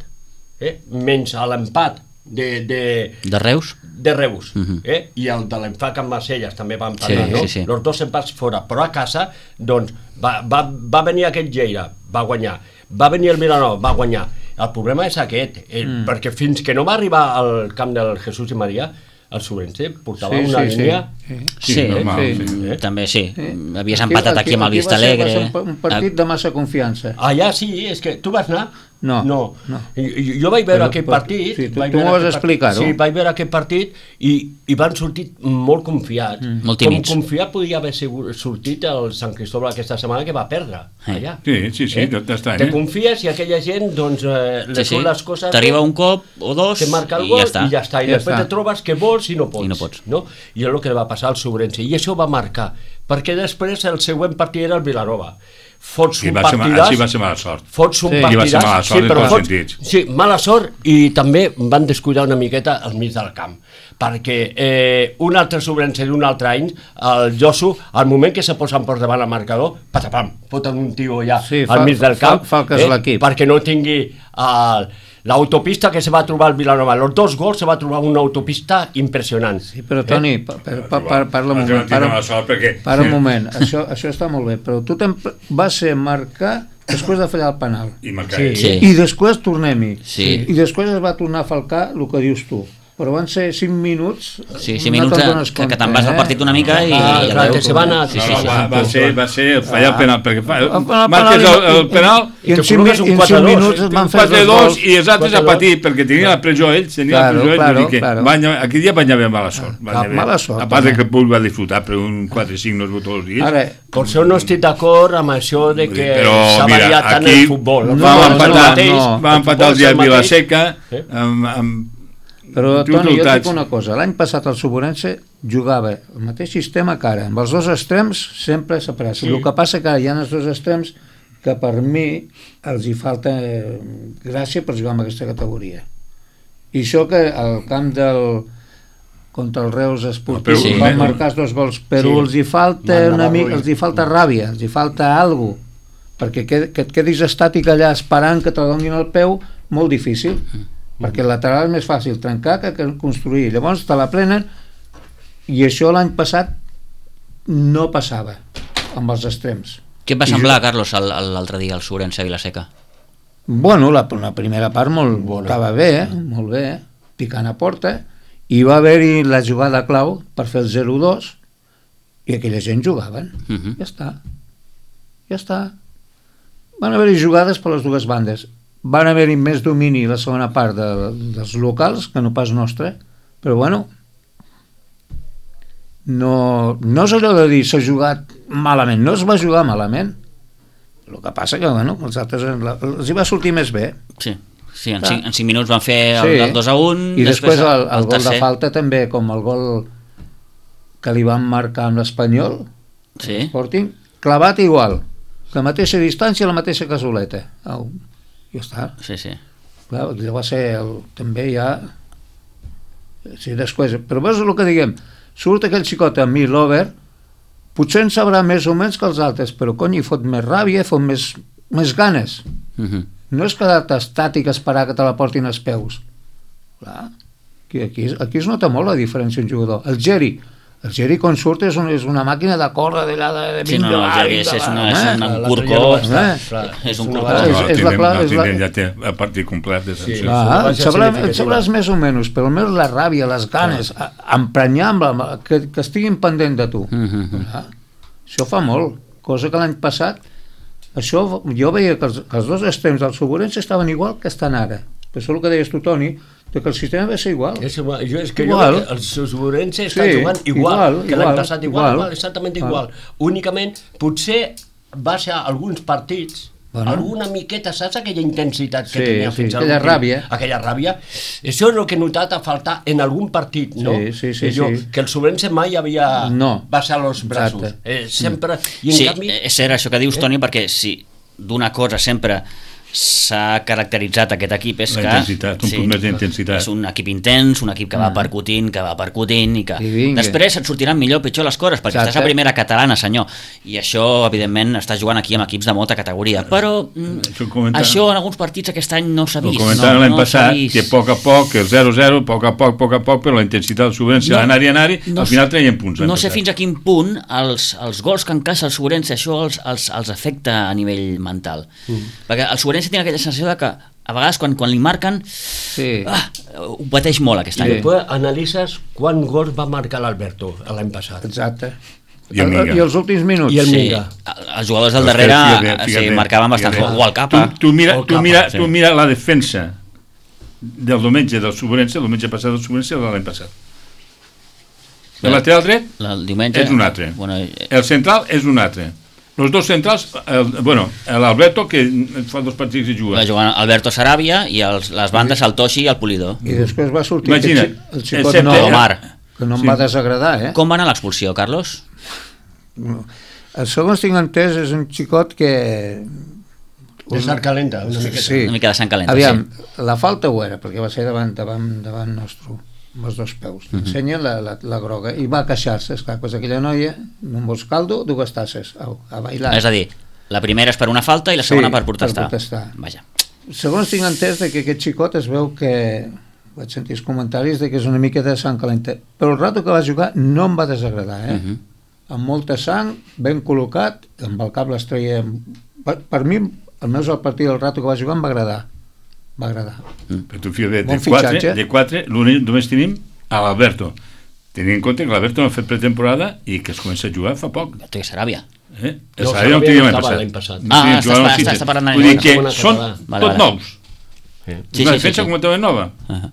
eh, menys a l'empat de, de, De Reus? de Reus, Mhm. eh? I el de l'Enfac amb Marcelles també van Sí, parlar, no? sí, sí. Els dos empats fora, però a casa doncs, va, va, va venir aquest Lleida, va guanyar, va venir el Vilanova, va guanyar. El problema és aquest, eh, mm. perquè fins que no va arribar al camp del Jesús i Maria, el Sobrense portava Sí, una sí, línia... sí. Sí, Sí, normal, sí. sí. Eh? També sí, Eh? havies empatat aquí, amb el Vista va ser- Alegre. Va ser un, un partit de massa confiança. Allà sí, és que tu vas anar? No, no. no. Jo, jo vaig veure Però- aquest però- partit... sí, tu- vaig tu veure m'ho vas aquest part- explicar-ho. Sí, vaig veure aquest partit i, i van sortir molt confiats. Mm. Molt Com tímids. confiat podia haver sigut, sortit el Sant Cristóbal aquesta setmana que va perdre Eh. allà. Sí, sí, sí, tot està, Te eh? confies i aquella gent, doncs, eh, Sí, les sí. són les coses... T'arriba un cop o dos te marca el i gol ja està. i ja està. I Ja després està. te trobes que vols i no pots. I no pots. No? I és el que li va passar al Sobrense. I això va marcar, perquè després el següent partit era el Vilanova. Fots Sí, un va ser, ma- partidàs... així va ser mala sort. Fots un Sí. partidàs... I va ser mala sort en però tots els fots- sentits. Sí, mala sort i també van descuidar una miqueta al mig del camp perquè eh, un altre Sobrense d'un altre any, el Josu, al moment que se posen per davant al marcador, patapam, foten un tio allà Sí, al fa- mig del fa- camp fa el que és l'equip. perquè no tingui el, l'autopista que se va trobar al Vilanova. Los dos gols se va trobar una autopista impressionant. Sí, però Toni, pa, pa, pa, pa, parla un Vas moment. tindre Para, mala sort perquè... para un moment, això, això està molt bé, però tu te'n- va ser marcar després de fallar el penal. I marcar. Sí. Sí. I després tornem-hi. Sí. I després es va tornar a falcar el que dius tu. però van ser cinc minuts. Sí, cinc minuts que, que te'n vas del partit una mica i... Ah, i clar, que se van a... Sí, sí, No, sí. va, va, ser, va ser fallar el penal, perquè fa, penal marques el, el penal, i en que cinc, col·loques un i en quatre cinc dos, minuts un van fer quatre dos dos gols. i els altres a patir, perquè tenia la pressió ells, tenia Claro, la pressió ells, claro, vull dir que claro. van, aquell dia van haver mala sort. Van Ah, haver, mala sort, a part de també. que el públic va disfrutar, però un quatre cinc no es veu tots els dies. Ara, Per això no estic d'acord amb això de que Però, s'ha mira, variat tant aquí el futbol. El vam futbol és el empatar- mateix, no, va el empatar futbol el és dia a mateix. Vilaseca, Eh? amb, amb però, uns Toni, jo et resultats. dic una cosa. L'any passat el Suburense jugava el mateix sistema que ara. Amb els dos extrems sempre separats. Sí. El que passa que ara hi ha els dos extrems que per mi els hi falta eh, gràcia per jugar en aquesta categoria. I això que al camp del contra el Reus Esportiu Sí. van marcar els dos gols, però Sí. els hi falta Van una anar mica, ruï. els hi falta ràbia, els hi falta alguna cosa, perquè que, que et quedis estàtic allà esperant que te donin el peu, molt difícil, perquè el lateral és més fàcil trencar que que construir. Llavors te la prenen, i això l'any passat no passava amb els extrems. Què et va I semblar, jo- Carlos, el- el- l'altre dia, el Surense a Vilaseca? Bueno, la, la primera part molt bona. Estava bé, eh? molt bé, eh? Picant a porta, i va haver-hi la jugada clau per fer el zero dos, i aquella gent jugaven. Uh -huh. Ja està. Ja està. Van haver-hi jugades per les dues bandes. Van haver-hi més domini la segona part de, dels locals que no pas nostre, però bueno, no, no és allò de dir s'ha jugat malament, no es va jugar malament. El que passa que bueno, els altres la- els hi va sortir més bé. Sí, sí, en, Clar. cinc, en cinc minuts van fer el, Sí. el dos a un, I després el, el, gol tercer. de falta també, com el gol que li van marcar amb l'Espanyol, Sí. Sporting, clavat igual, la mateixa distància, la mateixa casoleta. Au, ja està. Sí, sí. Clar, allò va ser el, també ja... Sí, després, però veus el que diguem, surt aquell xicot amb mi, l'Over, potser en sabrà més o menys que els altres, però cony, hi fot més ràbia, fot més, més ganes. Uh -huh. No és quedar-te estàtic a esperar que te la portin als peus. Clar, aquí, aquí, aquí es nota molt la diferència un jugador. El Geri, el Geri quan surt és, un, és una màquina de córrer d'allà de, de Sí, no, no, el Geri és, és, una, és un L'altre curcó, dia no va estar, eh? clar. és un Una curcó. vegada- No, és- és tindrem- la clau- no, és la- tindrem, ja té el partit complet de sancions. Sí. Clar, va ser sabrà, significativa. sabràs més o menys, però almenys la ràbia, les ganes, a- emprenyar amb la, que, que estiguin pendent de tu. Uh -huh. Clar, això fa molt, cosa que l'any passat això, jo veia que els, que els dos extrems del Suburense estaven igual que estan ara. Per això el que deies tu, Toni, de que el sistema va ser igual. És igual. Jo, és que Igual. jo crec que el Suburense està Sí, jugant igual, igual, que l'any igual, passat, igual, igual. igual, exactament Igual. igual. Únicament, potser va ser alguns partits, Bueno. alguna miqueta, saps aquella intensitat que Sí, tenia sí, fins a aquella l'últim? ràbia. Aquella ràbia. Això és el que he notat a faltar en algun partit, no? Sí, sí, sí, Que jo, sí. Que el Suburense mai havia No. baixat els braços. Exacte. Eh, sempre... I en Sí, canvi... és cert això que dius, Toni, perquè si d'una cosa sempre s'ha caracteritzat aquest equip és La que... intensitat, un punt més d'intensitat. És un equip intens, un equip que va Mm. percutint, que va percutint i que I vinga. després et sortiran millor o pitjor les coses, perquè Exacte. estàs a primera catalana, senyor, i això, evidentment, estàs jugant aquí amb equips de molta categoria, però mm, Això comenta- això en alguns partits aquest any no s'ha Ho vist. comentàvem no, l'any no passat, s'ha vist. que a poc a poc, el zero zero, a poc a poc, a poc a poc, però la intensitat del Suburense No, no, anar-hi, anar-hi, no al sé- final traien punts. l'any No sé passat. fins a quin punt els, els gols que encaixa el Suburense això els, els, els afecta a nivell mental. Mm. Perquè el Suburense té aquella sensació de que a vegades quan, quan li marquen Sí. ah, ho pateix molt aquest I any. després analitzes quant gols va marcar l'Alberto l'any passat. Exacte. I el Minga. I els últims minuts. I el Sí, Minga. els jugadors del Però és que, darrere fíjate, sí, fíjate, marcaven bastant, fíjate. o el Capa. Tu, tu, mira, O el tu, Capa, mira, sí. tu mira la defensa del diumenge del Suburense, el diumenge passat del Suburense o de l'any passat. El lateral dret El diumenge... és un altre. Bueno, eh, El central és un altre. Els dos centrals, el, bueno, l'Alberto, que fa dos partits que va juga. jugar Alberto Sarabia i els, les bandes el Toshi i el Polidor. I després va sortir Imagina't, aquest xi- el el xicot Septe- nou, Omar. que no em Sí. va desagradar, eh? Com va anar l'expulsió, Carlos? El segons tinc entès és un xicot que... De sar calenta, una miqueta. Sí. Una mica de sang calenta, Aviam, sí. la falta ho era, perquè va ser davant, davant, davant nostre, amb els dos peus. Mhm. Ensenya la, la, la groga i va queixar-se, esclar, pues aquella noia, no em vols caldo, dues tasses, au, a bailar. És a dir, la primera és per una falta i la segona Sí, per protestar. per protestar. Vaja. Segons tinc entès de que aquest xicot es veu que vaig sentir els comentaris de que és una mica de sang calenta, però el rato que va jugar no em va desagradar, eh? Mhm. Amb molta sang, ben col·locat, amb el cap les treia... Per, per mi, almenys el partit del rato que va jugar em va agradar. va agradar. Però tu fia de, de, Bon quatre, fitxatge. de quatre, l'únic només tenim a l'Alberto. Tenint en compte que l'Alberto no ha fet pretemporada i que es comença a jugar fa poc. No té Saràbia. Eh? El No, Saràbia no Saràbia tenia no l'any estava passat. l'any passat. No Ah, tenia estàs jugat par- al City. estàs parlant de Vull dir segona- que segona són català. Vale, tot vale. nous. Sí, Una sí, sí, defensa sí. completament nova. Uh-huh.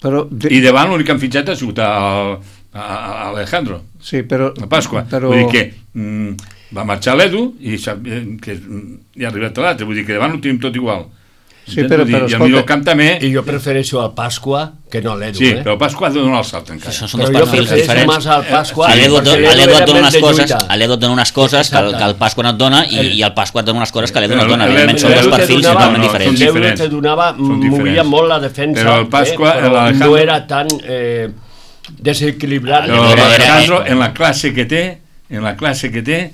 Però, de, I davant l'únic que han fitxat ha sigut a, a, a Alejandro, sí, però, a Pasqua. però, Vull dir que mm, va marxar l'Edu i sap, eh, que mm, ja ha arribat a l'altre. Vull dir que davant ho tenim tot igual. Sí, Entens? però- Vull dir, però, I al escolta, millor camp també. I jo prefereixo al Pasqua que no a l'Edu, Sí, eh? però Pasqua ha de donar el salt encara. Això són Però dos jo perfils prefereixo diferents. més al Pasqua. A l'Edu perquè a l'Edu era et dona més unes de coses, lluita. a l'Edu et dona unes coses que el, que el Pasqua no et dona i, El- i el Pasqua et dona unes coses que l'Edu no Però et dona. l'Edu- Evidentment són dos l'Edu te perfils donava- totalment no, diferents. són L'Edu diferents. te donava, Són movia diferents. molt la defensa, Però el Pasqua, eh? però l'Alejandro- no era tan eh, desequilibrat. Però Era- era- l'Alejandro, era- en la classe que té, en la classe que té,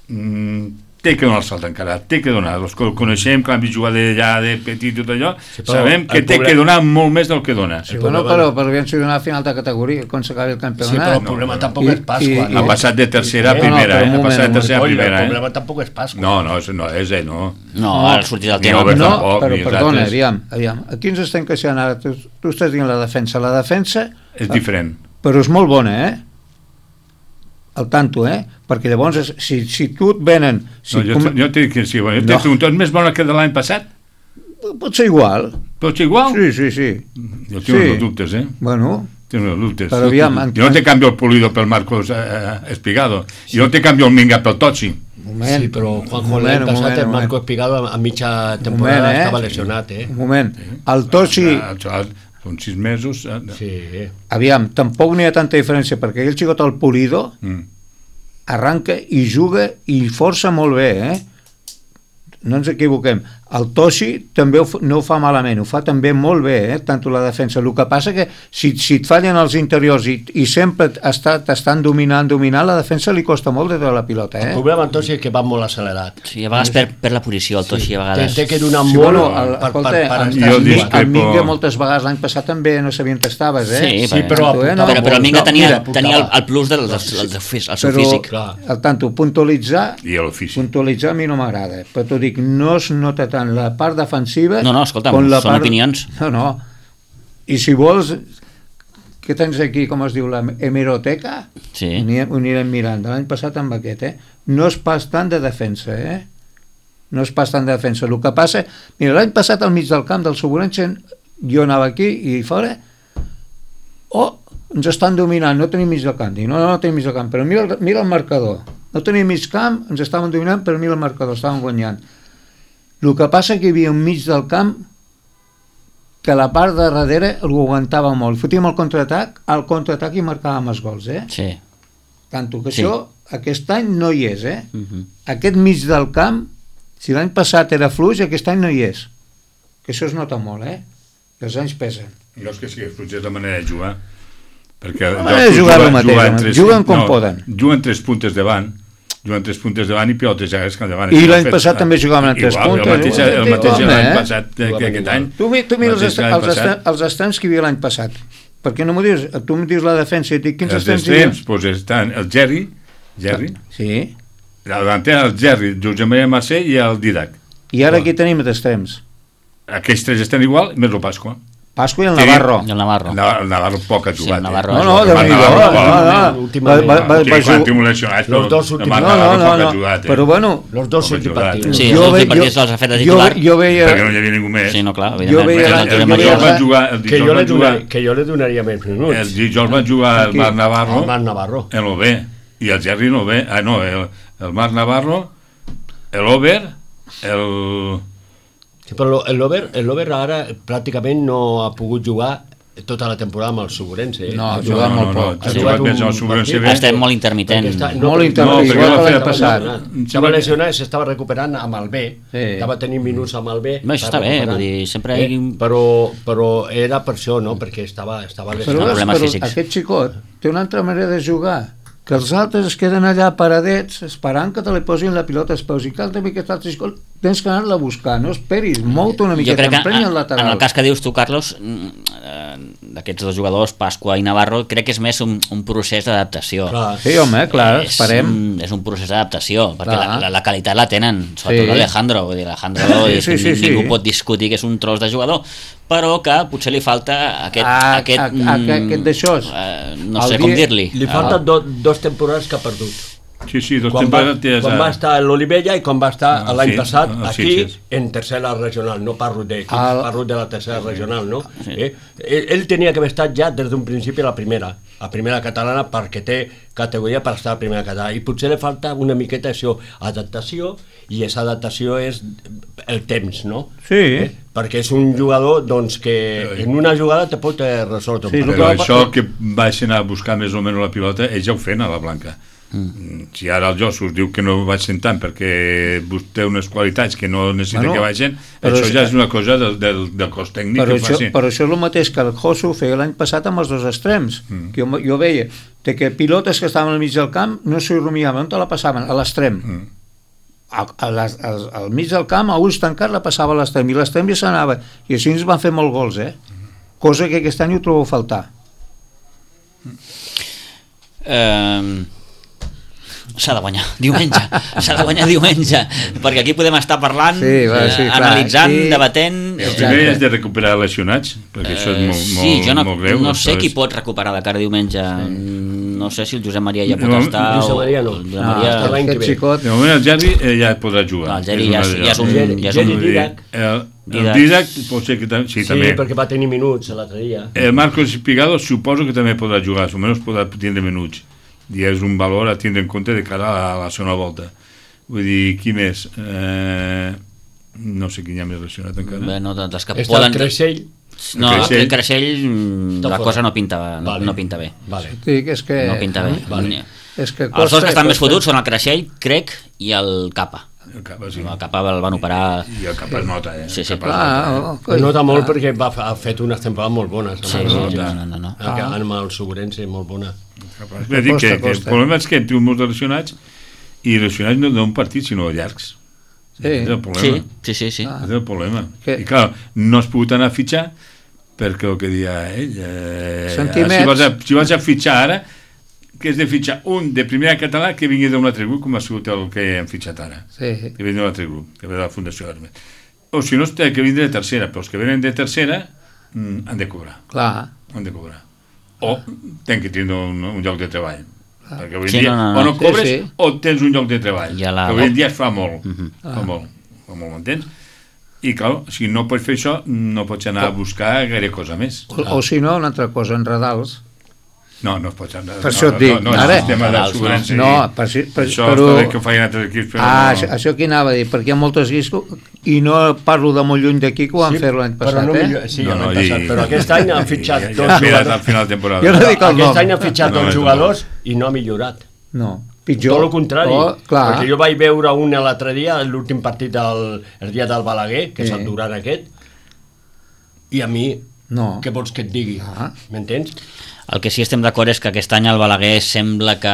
mm, té que donar el salt encara, té que donar. Els que el coneixem, que l'han vist jugar d'allà de petit i tot allò, Sí, però sabem que el té problema- que donar molt més del que dona. sí, bueno, però, però aviam si donar a final de categoria quan s'acabi el Sí, campionat. però el problema no, tampoc I- és Pasqua. i- no? Ha passat de tercera a Eh, primera, no, però eh? un Ha moment, passat de un tercera a Coi, primera, el eh? problema tampoc és Pasqua. No, no, és- no, és ell, no. No, ara ha sortit el Ni tema. Albert No, tampoc, però ni els perdona, altres. aviam, aviam. Aquí ens estem queixant ara, tu, tu estàs dient la defensa. La defensa, És diferent. però és molt bona, eh? Al tanto, eh? Perquè llavors, és- si, si tu et venen... Si No, jo, com... jo t'he dit que sí, bueno, jo t'he No. preguntat, és més bona que de l'any passat? Pot ser igual. Pot ser igual? Sí, sí, sí. Jo tinc Sí. uns dubtes, eh? Bueno, Tinc uns dubtes. Però aviam, en- Jo no te canvio el Pulido pel Marcos eh, eh, Espigado. Jo no te canvio el Minga pel Totsi. un moment. Sí, però un Juanjo moment, l'any un passat moment, el un Marco moment. Espigado a mitja Un temporada moment, eh? estava lesionat, eh? Un moment. El Tosi, Ah, xaval, són sis mesos. Eh? Sí. aviam, tampoc n'hi ha tanta diferència, perquè el xicot el Pulido Mm. arranca i juga i força molt bé, eh? No ens equivoquem. El Tosi també ho, fa- no ho fa malament, ho fa també molt bé, eh? Tant la defensa. El que passa que si, si et fallen els interiors i, i sempre està- t'estan dominant, dominant, la defensa li costa molt de tota la pilota, El eh? problema amb Tosi és que va molt accelerat. Sí, a vegades per, per la posició, el Toixi, a Té, vegades. té que donar Sí, molt bueno, per, el, per, escolta, per, per el, estar Jo el, discrepo. el Minga moltes vegades l'any passat també no sabia on estaves, eh? Sí, Sí, però, Tanto, eh, no? Però, però el Minga No, tenia, mira, tenia el, el plus del, del, del, del, fí- el seu Però, físic. clar. al tanto, puntualitzar I l'ofici. puntualitzar a mi no m'agrada, però t'ho dic, no es nota tant la part defensiva No, no, escolta'm, com la són opinions. No, no, i si vols, què tens aquí, com es diu, la hemeroteca? Sí. Ho anirem, ho anirem mirant, de l'any passat amb aquest, eh? No és pas tant de defensa, eh? No és pas tant de defensa. El que passa, mira, l'any passat al mig del camp del Soburense, jo anava aquí i fora, oh, ens estan dominant, no tenim mig del camp. Dic, no, no, no tenim mig del camp, però mira, el- mira el marcador. No tenim mig camp, ens estaven dominant, però mira el marcador, estàvem guanyant. El que passa que hi havia un mig del camp que la part de darrere ho aguantava molt. Fotíem el contraatac, al contraatac i marcàvem els gols, eh? Sí. Tanto que Sí. això aquest any no hi és, eh? Uh -huh. Aquest mig del camp, si l'any passat era fluix, aquest any no hi és. Que això es nota molt, eh? Que els anys pesen. No és que sigui fluix, és la manera de jugar. Perquè La manera de jugar el mateix, en home. tres- Juguen com poden. Juguen tres puntes davant, juguen tres puntes davant i pilotes ja és que davant. I l'any passat també jugaven en tres Igual, puntes. El mateix, el mateix Home, l'any eh? passat que Jugaven aquest igual. any. Tu, mi- tu mira els, Mateix est l'any els, est passat. els extrems que hi havia l'any passat. Per què no m'ho dius? Tu em dius la defensa i et dic quins Els extrems hi havia? extrems, doncs estan el Jerry, Jerry, Sí. la davantera el Jerry, el Josep Maria Mercè i el Didac. I ara aquí tenim d'extrems. Aquells tres estan igual, més el Pasqua. Pasqua i el Sí. Navarro. I el Navarro. El Navarro, el Navarro poc ha Sí, jugat. el Navarro eh? No, no, El Déu-n'hi-do. Navarro, No, no. últimament. Va- va- va- Sí, va quan jugar- tinc lesionats, Los però dos el últims- Marc No, Navarro no, poc no, ha no. jugat, eh? Però bueno, Los dos Com ha últims jugat. partits. Sí, Jo els ve- últims partits jo- els ha fet de jo, titular. jo veia... Perquè no hi havia ningú més. Sí, no, clar, Jo evidentment. veia perquè la- és el El tio jo veia dijous major. la- van jugar, el Que jo, dijous le van jugar, donaria, que jo le donaria més minuts. el dijous van jugar el Aquí. Marc Navarro El Marc Navarro. en l'O-B i el Jerry en l'O-B. Ah, no, el, el Marc Navarro, l'Over, el... Sí, però lo- l'Over el Over ara pràcticament no ha pogut jugar tota la temporada amb el Soburense. Eh? No, ha Ha jugat no, molt no, no, poc. ha jugat més amb el Soburense partit. B. Estem molt intermitent. Perquè està- Molt perquè- intermitent, No, igual perquè que la l'any feia passat. passar. Estava lesionat i s'estava recuperant amb el B. Sí. Estava tenint minuts amb el B. Bé, això està bé, recuperant. vull dir, sempre hi- Eh, però, però era per això, no? Perquè estava, estava Però, lesionat. problemes però físics. aquest xicot té una altra manera de jugar, que els altres es queden allà paradets esperant que te li posin la pilota als peus i cal també aquest altre xicot tens que anar-la a buscar, no esperis, mou-te una Jo miqueta, crec que emprenya el en, lateral. en el cas que dius tu, Carlos, eh, d'aquests dos jugadors, Pasqua i Navarro, crec que és més un, un procés d'adaptació. Clar. Sí, home, clar, és, esperem. un, és un procés d'adaptació, perquè Clar. la, la, la qualitat la tenen, sobretot Sí. l'Alejandro, vull dir, l'Alejandro Sí, és sí, que sí, sí. ningú pot discutir que és un tros de jugador, però que potser li falta aquest... Ah, aquest, a- a- mm, aquest d'això. eh, no El sé dia- com dir-li. Li falten do, dos temporades que ha perdut. Sí, sí, dos Quan va, temporades... quan va estar a l'Olivella i quan va estar Ah, l'any sí, passat a aquí Sitges. en tercera regional, no parlo d'equips, Ah, parlo de la tercera regional, no? Eh? Ell, ell tenia que haver estat ja des d'un principi a la primera, a primera catalana, perquè té categoria per estar a primera catalana, i potser li falta una miqueta això, adaptació, i aquesta adaptació és el temps, no? Sí. Eh? Perquè és un jugador doncs, que en una jugada te pot eh, resoldre un Sí, partit. Però que va- això que baixen a buscar més o menys la pilota, ells ja ho feien a la Blanca. Mm. Si ara el Jossus diu que no baixen tant perquè bus- té unes qualitats que no necessita Bueno, que baixen, però això és- ja és una cosa del, del, del cos tècnic Però que ho això, faci. però això és el mateix que el Josu feia l'any passat amb els dos extrems. Mm. Que jo, jo veia de que pilotes que estaven al mig del camp no s'hi rumiaven, on te la passaven? A l'extrem. Mm. A, a les, al, al mig del camp, a ulls tancats, la passava a l'extrem, i l'extrem ja s'anava. I així ens van fer molts gols, eh? Cosa que aquest any ho trobo a faltar. Eh, s'ha de guanyar diumenge, s'ha de guanyar diumenge, perquè aquí podem estar parlant, Sí, va, sí, eh, clar, analitzant, sí. debatent. El primer és de recuperar lesionats, perquè això és molt, Eh, molt, sí, jo no, molt greu. no sé això qui és- pot recuperar de cara a diumenge. No sé si el Josep Maria ja pot No, estar. Josep o- Maria no. o el Josep No, Maria... està l'any que Aquest ve. xicot... De moment el Jerry eh, ja podrà jugar. No, el Jerry És ja una és- de- ja és un- Jerry- ja és Jerry un- Didac. El, el Didac. Didac pot ser que també, sí, Sí, també. perquè va tenir minuts l'altre dia. El Marcos Pigado suposo que també podrà jugar, almenys podrà tindre minuts. I és un valor a tindre en compte de cara a la, a la segona volta. Vull dir, qui més? Eh, no sé qui hi ha més lesionat encara. Bé, no, dels que Està poden... el Creixell. No, El Creixell. el Creixell, mm, Està la fora. cosa no pinta, no, Vale. no pinta bé. Vale. Sí, que és que... No pinta bé. Vale. És que Els dos costa- que estan més costa- fotuts són el Creixell, crec, i el Capa. El Capa, sí. El Capa el van operar... I el Capa es nota, eh? Sí, sí. El Capa es Ah, nota, eh? oh, Es coi. nota molt Ah. perquè va, ha fet unes temporades molt bones. Sí, amb sí, el- no, no, no, no. Ah, amb el Sobrense, molt bona. Capaz. Bé, dic Costa, que, que el costa. problema és que té molts de lesionats i lesionats no d'un partit, sinó llargs. Sí. És el problema. Sí, sí, sí. sí. És el problema. Que- I clar, no has pogut anar a fitxar perquè el que dia ell... Eh, Sentiments. si, vas a, si vas a fitxar ara, que és de fitxar un de primera català que vingui d'un altre grup, com ha sigut el que hem fitxat ara. Sí. Que vingui d'un altre grup, que ve de la Fundació Hermes. O si no, té que vindre de tercera, però els que venen de tercera mm, han de cobrar. Clar. Han de cobrar. O tenen que tindre un, un lloc de treball. Perquè avui en Sí, dia, no, no, no. o no cobres, Sí, sí. o tens un lloc de treball. I a la- Que avui en dia es fa molt. Mhm. Fa molt. Fa molt, m'entens? I, clar, si no pots fer això, no pots anar a buscar gaire cosa més. O, o si no, una altra cosa, en Radals. No, no es pots anar... Per no, això et no, dic, no, no, ara- el sistema de Radals, no. Sobrense. No, per, si- per, Això però... està bé que ho facin altres equips, però Ah, no... això, això aquí anava a dir, perquè hi ha moltes guis i no parlo de molt lluny d'aquí que ho van fer l'any passat, però no eh? millor, sí, No, l'any no, passat, i- però aquest any han fitxat Ja, ja, dos ja esperes al jugadors. final de temporada. Jo no dic el Aquest nom. any han fitxat No, dos és jugadors i no ha millorat. No, pitjor. Tot el contrari, Oh, clar. perquè jo vaig veure un l'altre dia, l'últim partit del el dia del Balaguer, que és Sí. el Duran aquest, i a mi, No. què vols que et digui? Ah. M'entens? El que sí estem d'acord és que aquest any el Balaguer sembla que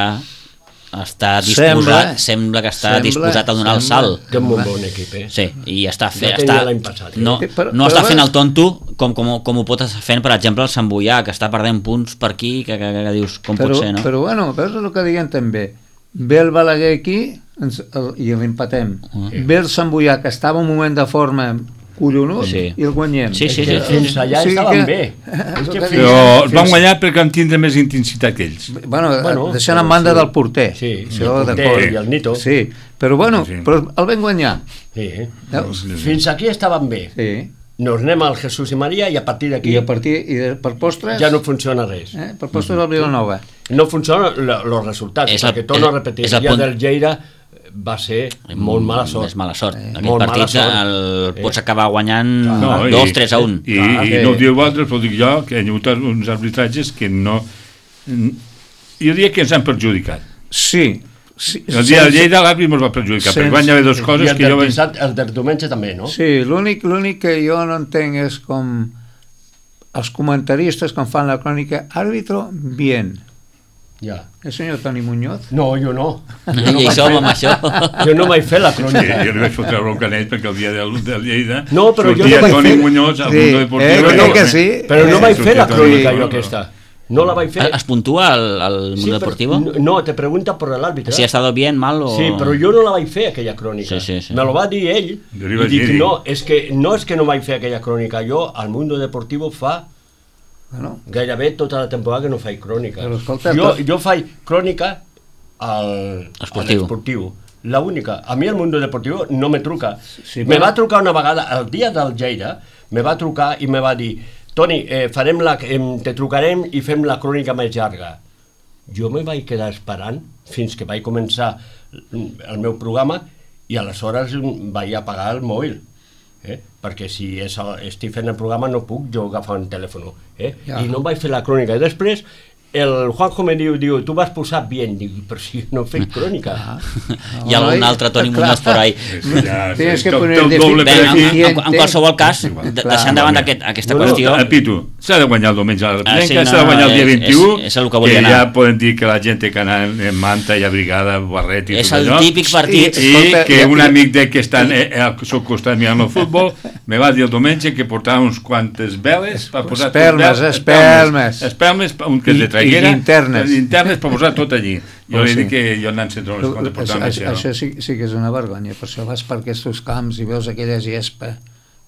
està Sembla, disposat, sembla, que està sembla, disposat a donar el sembla. salt. Té un molt bon equip, eh? Sí, i està, fe, Ja tenia està l'any passat, eh? no, Eh, però- no però està va- fent el tonto com, com, com ho pot estar fent, per exemple, el Sant Boià, que està perdent punts per aquí, que, que, que, que dius, com però, pot ser, no? Però bueno, veus el que diuen també. Ve el Balaguer aquí ens, el, i l'empatem. Uh. Ve el Sant Boià, que estava en un moment de forma collonut, Sí. i el guanyem. Sí, sí, És que sí. fins allà O sigui estaven que- bé. És És el que que fins- Però els van fins- guanyar perquè van tindre més intensitat que ells. Bueno, Bueno, deixant en però banda sí. del porter. Sí, sí, Això el porter d'acord. i el Nito. Sí, però bueno, Sí. però el vam guanyar. Sí, eh? Veus? Fins aquí estaven bé. Sí. Nos anem al Jesús i Maria i a partir d'aquí I a partir, i de, per postres, ja no funciona res. eh, per postres al Vilanova. No funcionen els resultats, És el- perquè torno a és- repetir, és el el dia punt- del Lleida va ser molt mala sort. És mala sort. Aquest Molt mala partit sort. el, Eh. pots acabar guanyant No, dos, tres a un. I, Clar, i que- no ho diu altres, però dic jo que hi ha hagut uns arbitratges que no... Jo diria que ens han perjudicat. Sí. sí El dia de Lleida l'àrbit ens va perjudicar, Sense- perquè van haver dues I coses el que del, jo... vaig- dissabte, el del diumenge també, no? Sí, l'únic l'únic que jo no entenc és com els comentaristes quan fan la crònica, àrbitro, bien. Ja. El senyor Toni Muñoz? No, jo no. I hi som amb això. Jo no vaig fer la Sí, crònica. jo li vaig fotre bronca a ell perquè el dia del, del Lleida No, però jo sortia no vaig Toni fer- Muñoz al Sí, Mundo eh, Deportivo. crec que sí. Però no Eh, vaig fer la sortia crònica Toni jo Muñoz. aquesta. No la vaig fer. ¿Es puntúa al, al Sí, mundo però- deportivo? No, no, te pregunta por el árbitro. Si ha estado bien, mal o... Sí, però jo no la vaig fer, aquella crònica. Sí, sí, sí. Me lo va dir ell, Jo li i vaig dic, dir. no, és que, no és que no vaig fer aquella crònica, jo al Mundo Deportivo fa Bueno, gairebé tota la temporada que no faig crònica. Però escolta, jo, tot- jo faig crònica al, Esportiu. a l'esportiu. La única. A mi el Mundo Deportivo no me truca. Sí, me però- va trucar una vegada, el dia del Lleida, me va trucar i me va dir, Toni, eh, farem la, em, te trucarem i fem la crònica més llarga. Jo me vaig quedar esperant fins que vaig començar el meu programa i aleshores vaig apagar el mòbil. Eh? Perquè si és el, estic fent el programa no puc jo agafar un telèfon. Eh? Ja. I no vaig fer la crònica. I després el Juanjo me diu, diu tu vas posar bien. Dic, però si no he fet crònica. Ah. Hi ha algun altre Toni Clar. Muñoz por ahí. Ja, Tienes sí, que tot- poner tot de doble Bé, per en, aquí. en, en qualsevol cas, Igual. de, Clar, deixant davant igualment. aquest, aquesta No, no, qüestió... El Pitu, s'ha de guanyar el diumenge a la Ah, sí, Pilenca, no, s'ha de guanyar el dia és- vint-i-u, és- és el que volia que anar. ja poden dir que la gent té que anar en manta i abrigada, barret i És tot el allò. típic partit. I- I Escolta, que ja- un amic de que està eh, al seu costat mirant el futbol me va dir el diumenge que portava uns quantes veles per posar... Espelmes, tot vel- espelmes. Espelmes, un que és I- de traiguera, i linternes. linternes per posar tot allí. Jo Oh, li sí. dic que jo anant sense unes quantes Això, portava més. això, això sí, sí que és una vergonya, per això vas per aquests camps i veus aquella gespa,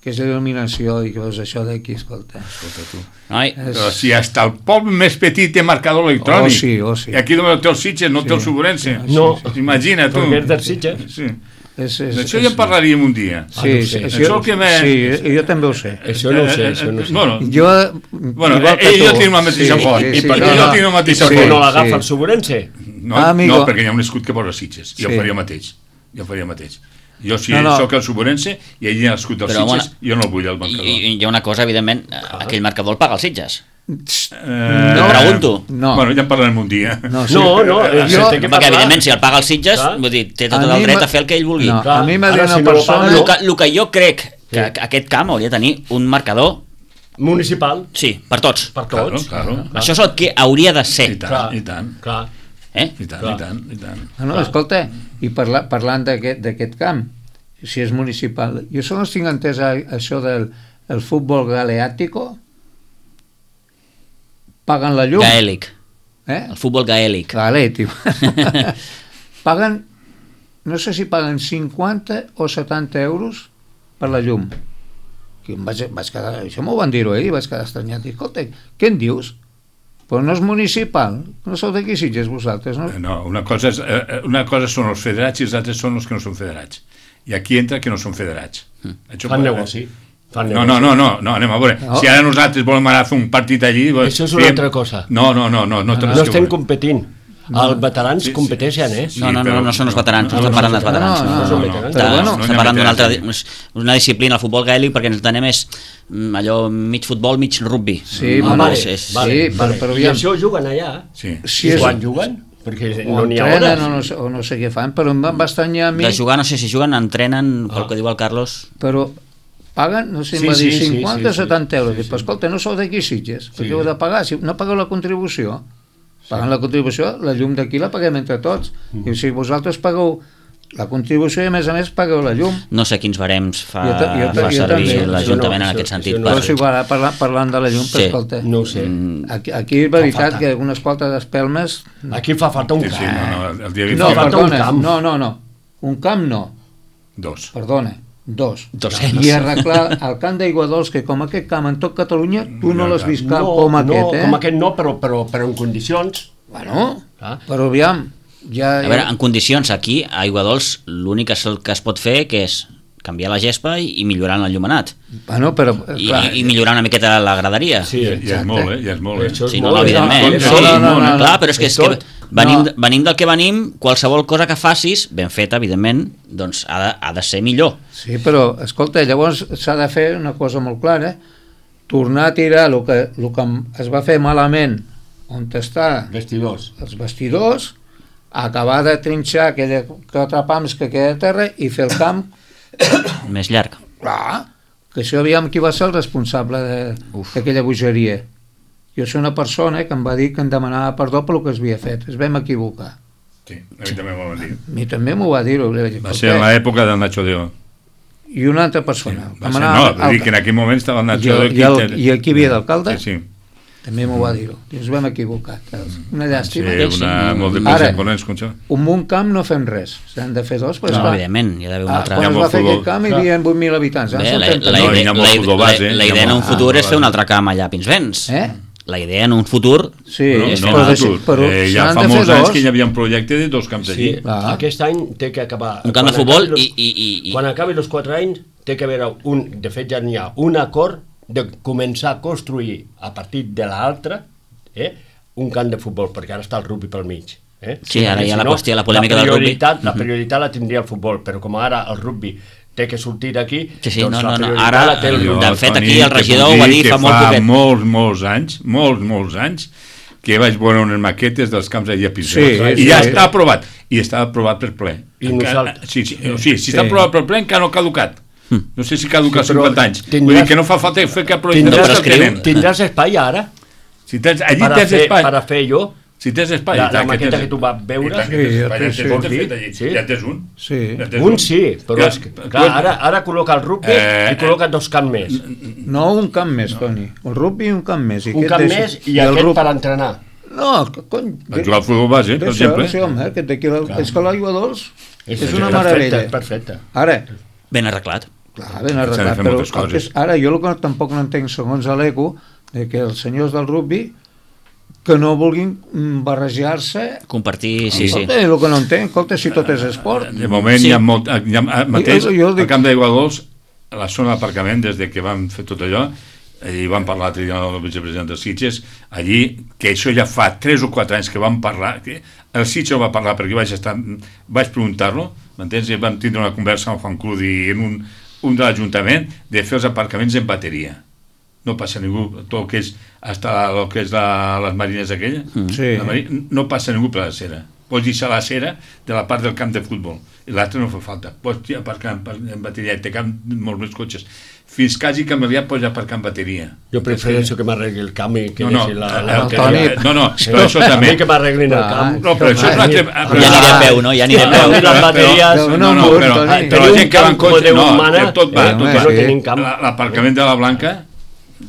que és il·luminació i que veus això d'aquí, escolta. Escolta tu. Noi, És- Però si hasta el poble més petit té marcador electrònic. Oh, sí, oh, sí. I aquí només té el Sitges, no té el Sí. Sobrense. No. Imagina, tu. Perquè és del Sitges. Sí. És, és, D'això ja en parlaríem un dia. Ah, Sí, no ho sí, sé. això, Això que me- sí, jo també ho sé. Això no ho sé, això no ho sé. Bueno, Jo, bueno igual que ell tu. jo tinc la mateixa Sí, font. sí, I sí, perquè no, jo no. tinc la mateixa Per Sí, què font. no l'agafa sí. el Sobrense? No, Ah, amigo. no, perquè hi ha un escut que posa Sitges. Jo Sí. faria el mateix. Jo faria el mateix. Jo, si No, no. sóc el Sobrense i allà hi ha l'escut dels Però, Sitges, bueno, jo no el vull al i, marcador. i hi ha una cosa, evidentment, aquell marcador el paga els Sitges. Eh, Te pregunto. No. Bueno, ja en parlarem un dia. No, sí. No, no, eh, Jo- se té que Perquè, parlar. evidentment, si el paga els Sitges, Clar. vull dir, té tot A el mi dret m'ha- a fer el que ell vulgui. No, Clar, a mi m'ha ara dit una si no lo persona... paga, El que, el que jo crec que Sí. aquest camp hauria de tenir un marcador, Municipal, sí, per tots. per Claro, tots. claro. Això és el que hauria de I ser. tant, Clar, i tant. clar. Eh? I tant, Clar. i tant, i tant. Ah, no, escolta, i parla, parlant d'aquest d'aquest camp, si és municipal, jo sols tinc entès a, això del el futbol galeàtico, paguen la llum. Gaèlic. Eh? El futbol gaèlic. Gaèlic. Paguen, no sé si paguen cinquanta o setanta euros per la llum. Que em vaig, vaig quedar, això m'ho van dir-ho ell i vaig quedar estranyat. I, escolta, què en dius? Però no és municipal, no sou d'aquí Sitges vosaltres, no? No, una cosa, és, eh, una cosa són els federats i els altres són els que no són federats. I aquí entra que no són federats. Això Fan pot- negoci. Fan No, negoci. no, no, no, no, anem a veure. No. Si ara nosaltres volem anar a fer un partit allí... doncs, Això és una fem- altra cosa. No, no, no, no, no, té res No que estem veure. competint. Els veterans Sí, sí. competeixen, eh? Sí, No, no, no, però- no són els veterans, no, no, estem parlant dels no, veterans. no, no, no, Està- no, està- però bueno, estem no parlant d'una altra veterans. és una disciplina, el futbol gaèlic, perquè ens entenem és mm, allò mig futbol, mig rugby. Sí, no, bueno, no, vale, és, és, vale. vale, però- vale. però I aviam. això juguen allà? Sí. Si I és, quan juguen? Perquè o no n'hi ha entrenen hores. o no, sé, o no sé què fan, però em va va estranyar a mi, De jugar, no sé si juguen, entrenen, pel Ah. que diu el Carlos. però paguen, no sé, em Sí, va dir sí, sí, cinquanta o sí, sí. setanta euros. Sí, Dic, però sí. escolta, no sou d'aquí Sitges, Sí. perquè heu de pagar, si no pagueu la contribució, pagant la contribució, la llum d'aquí la paguem entre tots. Mm. I si vosaltres pagueu la contribució i a més a més pagueu la llum. No sé quins barems fa, Jo ta- jo ta- fa jo servir també. l'Ajuntament Això no, en aquest això- sentit. això no. Però per- és igual, ara parlant, parlant de la llum, Sí. però escolta, No ho sé. Mm, aquí, aquí és veritat falta. que unes quantes espelmes... Aquí fa falta un Sí, sí, camp. no, no, el dia No, vint-i-u, falta un perdona, camp. no, no, no. Un camp no, dos. perdona, dos. Dos-cents. I arreglar el camp d'Aiguadols, que com aquest camp en tot Catalunya, tu no Ja, l'has ja. vist cap No, com no, aquest, eh? com aquest no, però, però, però en condicions. Bueno, Clar. però aviam, ja... A veure, en condicions, aquí, a Aiguadols, l'únic que, es- que es pot fer que és canviar la gespa i, i millorar l'enllumenat. Bueno, però... I, clar, i millorar una miqueta la graderia. Sí, Ja, ja és molt, eh? Ja és molt, eh? Això és Sí, no, molt, no, evidentment. eh? Sí, no, no, no, no, clar, però és que, és és que tot. venim, No. no. venim del que venim, qualsevol cosa que facis, ben feta, evidentment, doncs ha de, ha de ser millor. Sí, però, escolta, llavors s'ha de fer una cosa molt clara, tornar a tirar el que, el que es va fer malament on està Vestidors. els vestidors, acabar de trinxar aquella quatre pams que queda a terra i fer el camp. Més llarg. Clar, que això aviam qui va ser el responsable de- d'aquella bogeria. jo soc una persona que em va dir que em demanava perdó per el que es havia fet, es vam equivocar. Sí, a mi també m'ho va dir. A mi també m'ho va dir. Va ser en l'època del Nacho Deo. I una altra persona. Va ser, no, vull dir que en aquell moment estava el Nacho Deo. I el, i el qui havia d'alcalde sí, sí. també m'ho va dir. Ens vam equivocar. Una llàstima. Sí, una, molt de pressa corrents, com això. Un un camp no fem res. S'han de fer dos. Però no, esclar, evidentment, hi ha d'haver un ah, altre... quan es va fer aquest camp hi havia vuit mil habitants. Bé, la, la, No, idea, hi ha molt la, futbol la, base, la idea en un futur és fer un altre camp allà a Pinsbens. Eh? La idea en un futur... Sí, no, és no, fer no, un- no, però eh, ja s'han fa de fer molts anys dos. que hi havia un projecte de dos camps allí. Sí, Ah. aquest any té que acabar... un camp de quan futbol acabi i, los- i, i, i... Quan acabi els quatre anys té que haver un... De fet ja n'hi ha un acord de començar a construir a partir de l'altre eh, un camp de futbol, perquè ara està el rugby pel mig. Eh? Sí, ara hi ha Si la no, qüestió, la polèmica del rugby. prioritat- La prioritat la tindria el futbol, però com ara el rugby té que sortir d'aquí, Sí, sí, doncs no, la no, no. prioritat Ara, la té el jo- rugby. de fet, Toni, aquí el te regidor puc ho va dir dir que fa molt poquet. molts, molts anys, molts, molts anys, que vaig veure unes maquetes dels camps allà a Pinsbens. Sí, I ja sí. està aprovat. I està aprovat per ple. I Encara- nosaltres- sí, sí, o sigui, si Sí. està aprovat per ple, encara no ha caducat. No sé si caduca Sí, però cinquanta anys. tindràs- Vull dir que no fa falta fer cap projecte. No Tindràs, que el prescriu. tenen. tindràs espai ara Si tens, allí per a, tens fer, espai. per a fer jo Si tens espai. la, i tant la maqueta tens- que tu vas i veure. tant que tens Sí, espai, ja sí, tens vols tot dir? fet allí. Sí. Ja tens un. Sí. Ja tens Un sí, però Ja, és que, tu- clar, ara, ara col·loca el rugby Eh, i col·loca dos camps més. No, un camp més, Toni. El rugby i un camp més. I Un aquest camp deixa- més i aquest rugby- per entrenar. No, que cony... Per jugar al futbol base, per Deixa, exemple. sí, home, aquest d'aquí, la- és que l'aigua dolç és, és una perfecte, meravella. Perfecte. Ara, Ben arreglat. clar, ben S'han de arreglat, fer però moltes el que és, coses. ara jo el que tampoc no entenc, segons l'Eco, de que els senyors del rugby que no vulguin mm, barrejar-se. Compartir, sí, sí. Escolta, el que no entenc, escolta, si tot és esport. De moment Sí. hi ha molt... Hi ha, mateix, Jo- jo dic- al camp d'Aigua Dols, a la zona d'aparcament, des de que vam fer tot allò, i vam parlar l'altre dia amb el vicepresident de Sitges, allí, que això ja fa tres o quatre anys que vam parlar, que el Sitges ho va parlar perquè vaig estar, vaig preguntar-lo, m'entens? I vam tindre una conversa amb Juan Crudi en un, un de l'Ajuntament de fer els aparcaments en bateria. No passa ningú, tot el que és hasta el que és la, les marines aquella, Sí. la mari- no passa ningú per la cera. Pots deixar la cera de la part del camp de futbol i l'altre no fa falta. Pots aparcar en, en bateria i té camp molts més cotxes. Fins quasi que m'havia pots aparcar en bateria. Jo prefereixo que m'arregli el camp i que No, no, deixi la, el- la el bateria. Toni- no, no, Sí. però això A també- mi que m'arreglin el Ah, camp. No, però això és un altre... Ja aniré a peu, no? Ja aniré a No, peu. i les bateries... No, no, No, no, no, però, Toni. però Teniu la un gent que va en camp com cotxe... Déu No, mana, que tot va, eh, tot home, va. no sí. tenim camp. La- L'aparcament de la Blanca,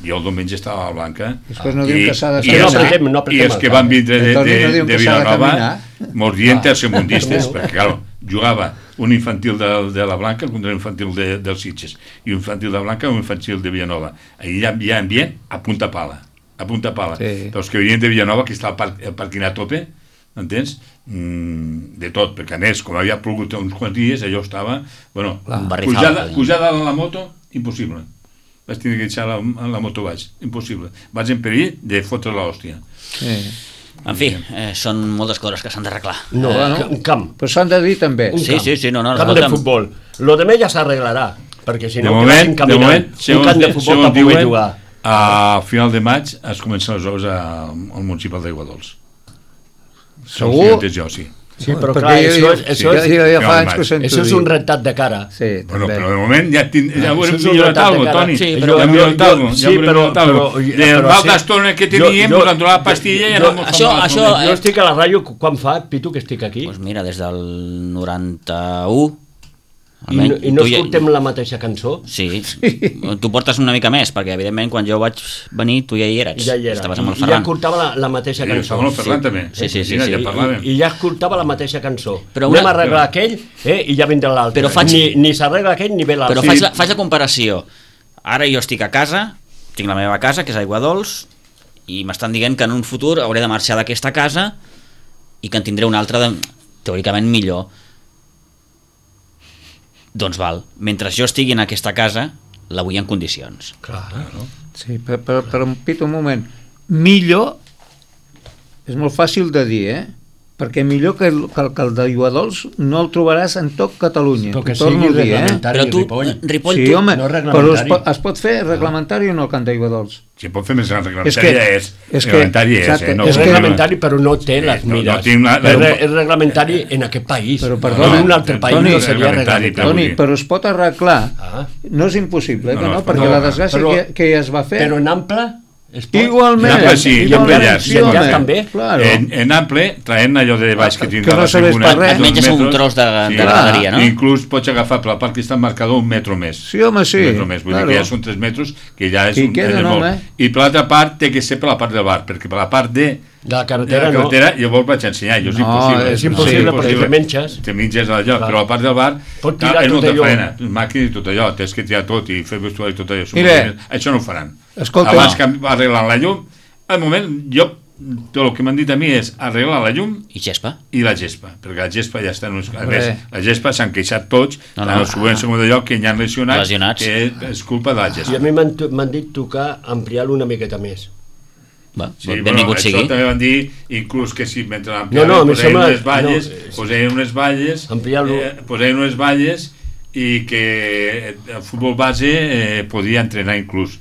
jo el diumenge estava a la Blanca, Després no diuen que s'ha de i, caminar. els, No apretem, no i apretem els el que camp. van vindre de, Toni, de, no diuen de que s'ha de Vilanova caminar. mos dient tercermundistes, perquè clar, jugava un infantil de, de la Blanca contra un infantil de, del Sitges i un infantil de Blanca i un infantil de Villanova. Allà hi havia ambient a punta pala, a punta pala. Sí. Però els que venien de Villanova, que estava el, parc, el parquín a tope, entens? Mm, de tot, perquè a més, com havia plogut uns quants dies, allò estava, bueno, Un barrizal, pujar, allà. pujar dalt en la moto, impossible. Vaig tenir que deixar la, la moto baix, impossible. Vaig en perill de fotre l'hòstia. Sí. En fi, eh, són moltes coses que s'han d'arreglar. No, Eh, no. que- un camp. Però s'han de dir també. Un Sí, camp. sí, sí, no, no, camp escolta'm. de futbol. Lo demés ja s'arreglarà, perquè si De no moment, quedem de caminant. moment, Un segons, camp de futbol segons per poder diuen, jugar. a final de maig es comencen les obres a- al municipal d'Aigua Dols. Segur? Segons jo, sí. Sí, però Perquè clar, jo- això, jo- és, això, ja, és, ja, ja fa Final anys de que ho sento això és dir. un rentat de cara. Sí, Bueno, també. però de moment ja, tin, ja Això haurem és un millorat rentat de alguna cosa, cara. Toni. Sí, Ja però- haurem jo- millorat jo- alguna cosa. sí, Ja haurem però- millorat alguna però- cosa. Del però mal sí. d'estona que Jo- teníem, jo- ens han donat la pastilla i jo- anem això- això, Jo Eh, estic a la ràdio quan fa, Pitu, que estic aquí, Doncs mira, des del noranta-u... i no, i no tu ja- escoltem la mateixa cançó. Sí, tu portes una mica més, perquè evidentment quan jo vaig venir tu ja hi eres. Ja hi era. Estaves amb el I, i ja Ferran. escoltava la, la mateixa Sí, cançó. estava amb el Ferran també. Sí, sí, sí, Mira, sí. ja parlàvem. I, I ja escoltava la mateixa cançó. Però Anem una- a arreglar aquell eh, i ja vindrà l'altre. Però faig- Ni, ni s'arregla aquell ni ve l'altre. Però Sí. faig, la, faig la comparació. Ara jo estic a casa, tinc la meva casa, que és Aigua Dols, i m'estan dient que en un futur hauré de marxar d'aquesta casa i que en tindré una altra de, teòricament millor. Doncs val, mentre jo estigui en aquesta casa, la vull en condicions. Clar. Sí, però, però, però Pitu, un moment. Millor és molt fàcil de dir, eh? Perquè millor que el, que el, que el d'Aigua Dols no el trobaràs en tot Catalunya. Però que Ho torno sigui a dir, eh? reglamentari, Però tu, Ripoll. Ripoll, Sí, tu, home, no és però es, reglamentari. pot, es pot fer reglamentari o no el camp d'Aigua Dols? Si pot fer més gran És reglamentari que- és. és que- Reglamentari és, exacte, eh? No, És no, reglamentari, però no té Sí, les no- no mires. tinc la- és, re, és reglamentari en aquest país. Però, perdona, en un altre país Toni, no seria reglamentari, reglamentari. Toni, dir. però es pot arreglar. Ah. No és impossible, eh, No, que no, no, es pot perquè arreglar. la desgràcia Però- que, que ja es va fer... Però en ample, Igualment. En Ample sí, I en Ample en llarg. sí, home. també. Claro. En, en Ample, traient allò de baix que tindrà Que no la serveix tribuna... per res. Et menges un tros de, de graderia, no? Inclús pots agafar per la part que està marcada un metro més. Sí, home, sí. Un metro més, vull claro. dir que ja són tres metres, que ja és, Que hi un, queden, és molt. home. I per l'altra part té que ser per la part del bar, perquè per la part de, De la de carretera, la no. carretera jo vol vaig ensenyar, jo és No, impossible. és impossible Sí, perquè te menges. Te menges allò, Clar. però la part del bar Pot clar, tirar és tot molta allò. feina, màquines i tot allò, tens que tirar tot i fer vestuari i tot allò. Mira. Això no ho faran. Escolta, Abans no. que arreglen la llum, al moment, jo, tot el que m'han dit a mi és arreglar la llum I gespa? i la gespa, perquè la gespa ja està en uns... a Hombre. més, la gespa s'han queixat tots, No, no, no. no, el següent segon d'allò que hi han lesionats, Lesionats. que és culpa de la I gespa. a mi m'han to- m'han dit tocar ampliar-lo una miqueta més. Va, Sí, benvingut bueno, sigui. això també van dir, inclús que si mentre No, l'ampliaven no, a mi posaven sembla- unes valles, no, eh, posaven unes valles, Ampliar-lo. eh, posaven unes valles i que el futbol base eh, podia entrenar inclús.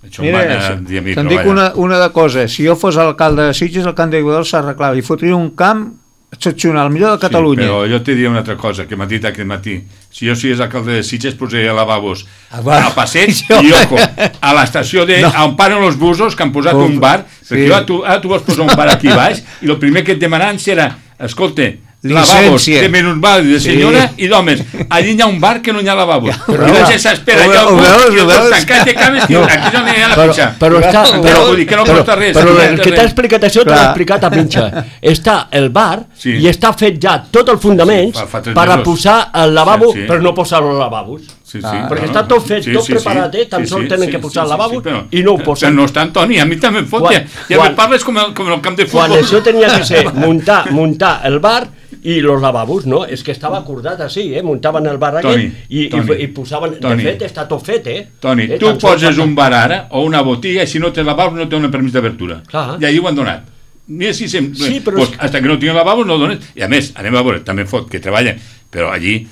Això Mira, em van dir a mi te'n dic treballar. una, una de cosa. Si jo fos alcalde de Sitges, el camp d'Iguadol s'arreglava i fotria un camp excepcional, el millor de Catalunya. Sí, però jo te diria una altra cosa que m'ha dit aquest matí. Si jo sigués alcalde de Sitges, posaria lavabos Ah, va. al passeig Jo- i, ojo, a l'estació de... No. on paren els busos, que han posat Com- un bar, sí. perquè ara tu, ara tu vols posar un bar aquí baix, i el primer que et demanaran serà, escolta, Llicència. lavabos de minusvàlid, de Sí. senyora i d'homes. Allí hi ha un bar que no hi ha lavabos. Però I la no. gent s'espera, Ho allà ve- ho al veus, bus, i ho els dos veus? tancats de cames, i No. aquí és on hi ha la Però, pitxa. però està... Però, Però, vull dir que no però, costa res. però no el costa que t'ha res. explicat això t'ho Clar. l'ha explicat a Minxa. Està el bar Sí. i està fet ja tot el fundament Sí, fa- fa tres per a mesos. posar el lavabo, Sí, sí. però no posar els lavabos. Sí, sí, Ah, perquè no, està tot fet, sí, tot sí, preparat, sí, eh? Tan sí, sols sí, tenen sí, que posar sí, el lavabo sí, però- i no ho posen. Però no està Toni, a mi també em fot, Quan- ja, ja quan- me parles com el, com el camp de Quan futbol. això tenia que ser muntar, muntar el bar i los lavabos, no? És que estava acordat així, eh? Muntaven el bar aquell Toni, i, i, Toni, i posaven... Toni. De fet, està tot fet, eh? Toni, eh? tu Tan sols poses falta- un bar ara o una botiga i si no tens lavabo no tens un permís d'obertura. Clar. I allí ho han donat. Mira si sempre... Sí, però pues, és- hasta que no tinguin lavabo no dones. I a més, anem a veure, també fot que treballen, però allí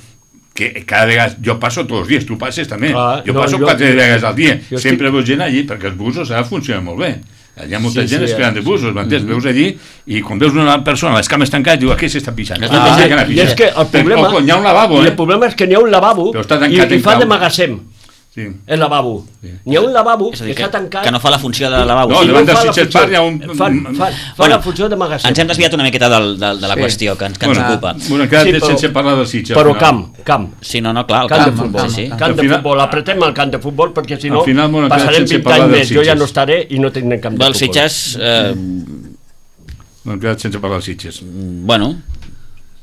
que cada vegada, jo passo tots els dies, tu passes també, Clar, jo no, passo jo- quatre vegades al dia, jo sempre veus gent allí, perquè els busos ara funcionen molt bé. Hi ha molta Sí, gent sí, esperant de sí. busos, m'entens? Veus allí i quan veus una persona, les cames tancades, diu, aquí s'està pixant. Ah, Aquí s'està I pixant. és que el problema... Ojo, hi ha un lavabo, I eh? el problema és que n'hi ha un lavabo Però està i, tancat i en fa clau. de magatzem, Sí. el lavabo. N'hi ha un lavabo És a que dir, que, està tancat... que no fa la funció de lavabo. No, i davant fa del la Sitges funció- Park hi ha un- Fa, fa, fa Bueno, la funció de magatzem. Ens hem desviat una miqueta del, del, de la Sí. qüestió que ens, que Bueno, ens ocupa. bueno, hem quedat Sí, però- sense parlar del Sitges. Però al final. camp, camp. Sí, no, no, clar, el Camp, camp, de futbol, sí, sí. camp Al de final- futbol, apretem el camp de futbol perquè si no Al final m'ho han quedat passarem sense vint parlar anys del més, jo ja Sitges. no estaré i no tindrem camp de Del futbol. Sitges, eh, No hem quedat sense parlar del Sitges. bueno,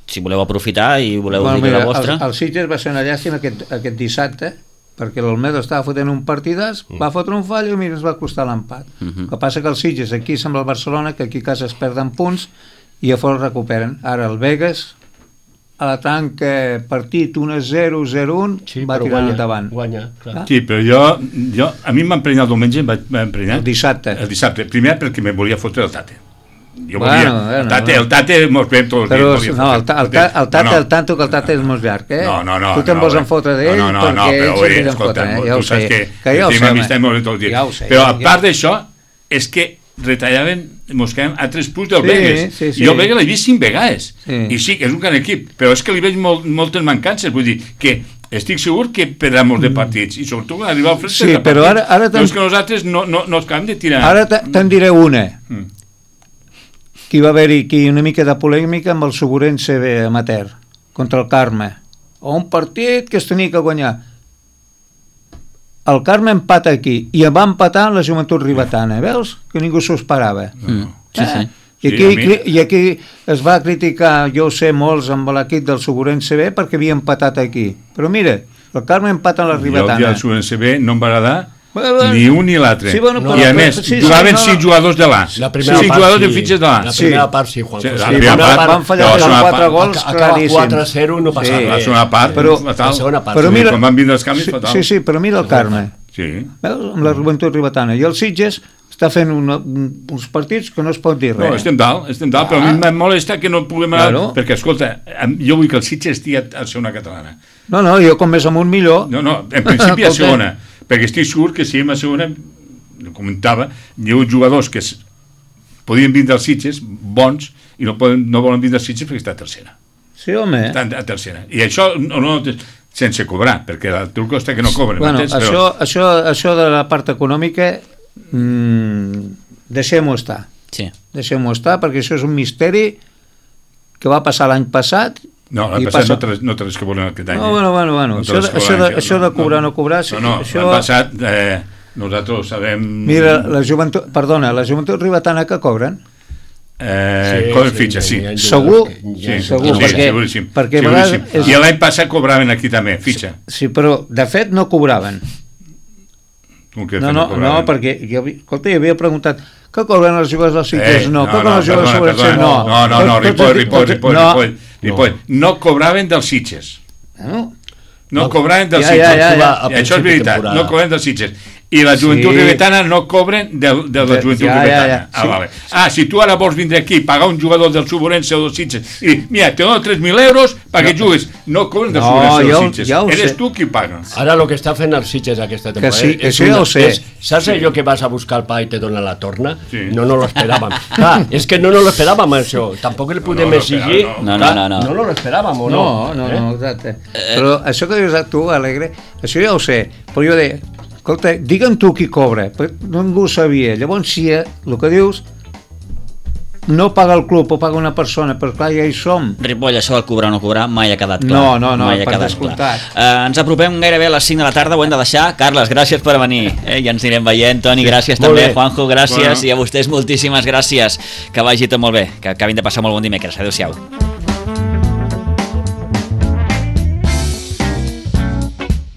si voleu aprofitar i voleu Bueno, dir mira, la vostra... el, el Sitges va ser una llàstima aquest, aquest dissabte, perquè l'Olmedo estava fotent un partidàs, va fotre un fall i mira, es va costar l'empat. El que passa que el Sitges aquí sembla el Barcelona, que aquí a casa es perden punts i a fora recuperen. Ara el Vegas, a la tanca partit un a zero, zero a un, Sí, va però tirar guanya, endavant. guanya, clar. Sí, però jo, jo a mi m'ha emprenyat el diumenge, em va- m'ha emprenyat. El dissabte. El dissabte. Primer perquè me volia fotre el Tate. Jo Bueno, volia, bueno, el Tate, bueno. el Tate mos veiem tots els Però dies. volia no, el, fotre. ta, el, ta, el Tate, No, no. el tanto que el Tate és molt llarg, eh? No, no, no. Tu te'n no, vols eh. enfotre d'ell no, no, no, no, perquè però ell oi, se'n escolta, fotre, eh? tu Ja ho saps sé. que, Que ja ho tenim sé, amistat home. molt bé tots els dies. Ja ho sé, però a ja- part d'això, és que retallaven, mos quedem a tres punts del Sí, Vegas. sí, sí. Jo el Vegas l'he vist cinc vegades. Sí. I sí, que és un gran equip, però és que li veig molt, moltes mancances. Vull dir que estic segur que perdrà molts de partits i sobretot quan arriba al fred Sí, però ara- ara però és tam- que nosaltres no, no, no els acabem de tirar. Ara te- te'n diré una. Mm. Que hi va haver-hi aquí una mica de polèmica amb el Suburense amateur contra el Carme. O un partit que es tenia que guanyar. El Carme empata aquí i va empatar la Joventut Ribetana, veus? Que ningú s'ho esperava. Mm, sí, Eh? sí. I Sí, aquí, a mi- cri- I aquí es va criticar, jo ho sé, molts amb l'equip del Suburense B perquè havia empatat aquí. Però mira, el Carme empata a la Jo el dia Ribetana. del Subense B no em va agradar Bueno, bueno. ni un ni l'altre. Sí, bueno, però- I a però- més, sí, sí, jugaven no, cinc jugadors de l'A. La primera Cinc part, jugadors sí. de fitxes de l'A. La Sí. primera part, sí, Juan. Sí, José. la La primera primera part- van fallar però la amb segona quatre part- gols acaba claríssims. quatre a zero, no passa Sí. La res. segona part, Però- fatal. La segona part. Però Sí, mira- quan van vindre els canvis, Sí, fatal. sí, sí, però mira el Carme. Sí. Veus? Amb la Joventut Ribetana. I el Sitges està fent una, un, uns partits que no es pot dir res. No, estem dalt, estem dalt, però a mi em molesta que no puguem anar, Claro. perquè, escolta, em- jo vull que el Sitges estigui a, a segona catalana. No, no, jo com més amunt millor. No, no, en principi a Escolta. segona, perquè estic segur que si a segona, ho comentava, hi ha uns jugadors que es, podien vindre als Sitges, bons, i no, poden, no volen vindre als Sitges perquè està a tercera. Sí, home. Està a tercera. I això no, no sense cobrar, perquè el truc costa que no cobren. Bueno, m'entens? això, això, això de la part econòmica mm, deixem-ho estar. Sí. Deixem-ho estar, perquè això és un misteri que va passar l'any passat. No, l'any passat passa... no, té, no té res que veure aquest any. No, bueno, bueno, bueno. No això, de, això, de, això de cobrar o no cobrar... No, no, això... l'any passat eh, nosaltres sabem... Mira, la joventut... Perdona, la joventut ribetana que cobren... Eh, sí, cobren sí, fitxes, sí. Segur? Sí, segur, sí, perquè, seguríssim. perquè seguríssim. És... I l'any passat cobraven aquí també, fitxa. Sí, però de fet no cobraven. Com que no, no, no, no, perquè jo, escolta, jo havia preguntat que cobren els jugadors dels Sitges? Eh, no, no, que cobren no, els jugadors perdona, dels Sitges? perdona, No, no, no, no, Ripoll, Ripoll, Ripoll, Ripoll, Ripoll, no cobraven dels Sitges. No, no cobraven dels ja, Sitges. Ja, ja, ja. I això és veritat, no cobraven dels Sitges. I la joventut sí. ribetana no cobren de, de la joventut ja, ribetana. Ja, ja. Ah, sí. vale. ah, si tu ara vols vindre aquí i pagar un jugador del Suburense o dels Sitges i dir, mira, te dono tres mil euros perquè no. juguis, no cobren del no, Suburense o dels Sitges. Ja Eres sé. tu qui paga. Ara el que està fent els Sitges aquesta temporada... Que sí, que sí, una, ho sé. És, saps sí. allò que vas a buscar el pa i te dona la torna? Sí. No no lo esperàvem. Clar, és que no no lo esperàvem, això. Tampoc el podem no, no, exigir. No, no, no. No, no, no lo esperàvem, o no? No, no, no, exacte. Però això que dius tu, Alegre, això ja ho sé, però jo deia, escolta, digue'm tu qui cobra, perquè ningú ho sabia. Llavors, si el que dius no paga el club o paga una persona, però clar, ja hi som. Ripoll, això del cobrar o no cobrar mai ha quedat clar. No, no, no, mai ha per quedat descomptat. clar. Uh, ens apropem gairebé a les cinc de la tarda, ho hem de deixar. Carles, gràcies per venir. Eh? Ja ens anirem veient. Toni, gràcies sí, també. Bé. Juanjo, gràcies. Bueno. I a vostès moltíssimes gràcies. Que vagi tot molt bé. Que acabin de passar molt bon dimecres. Adéu-siau.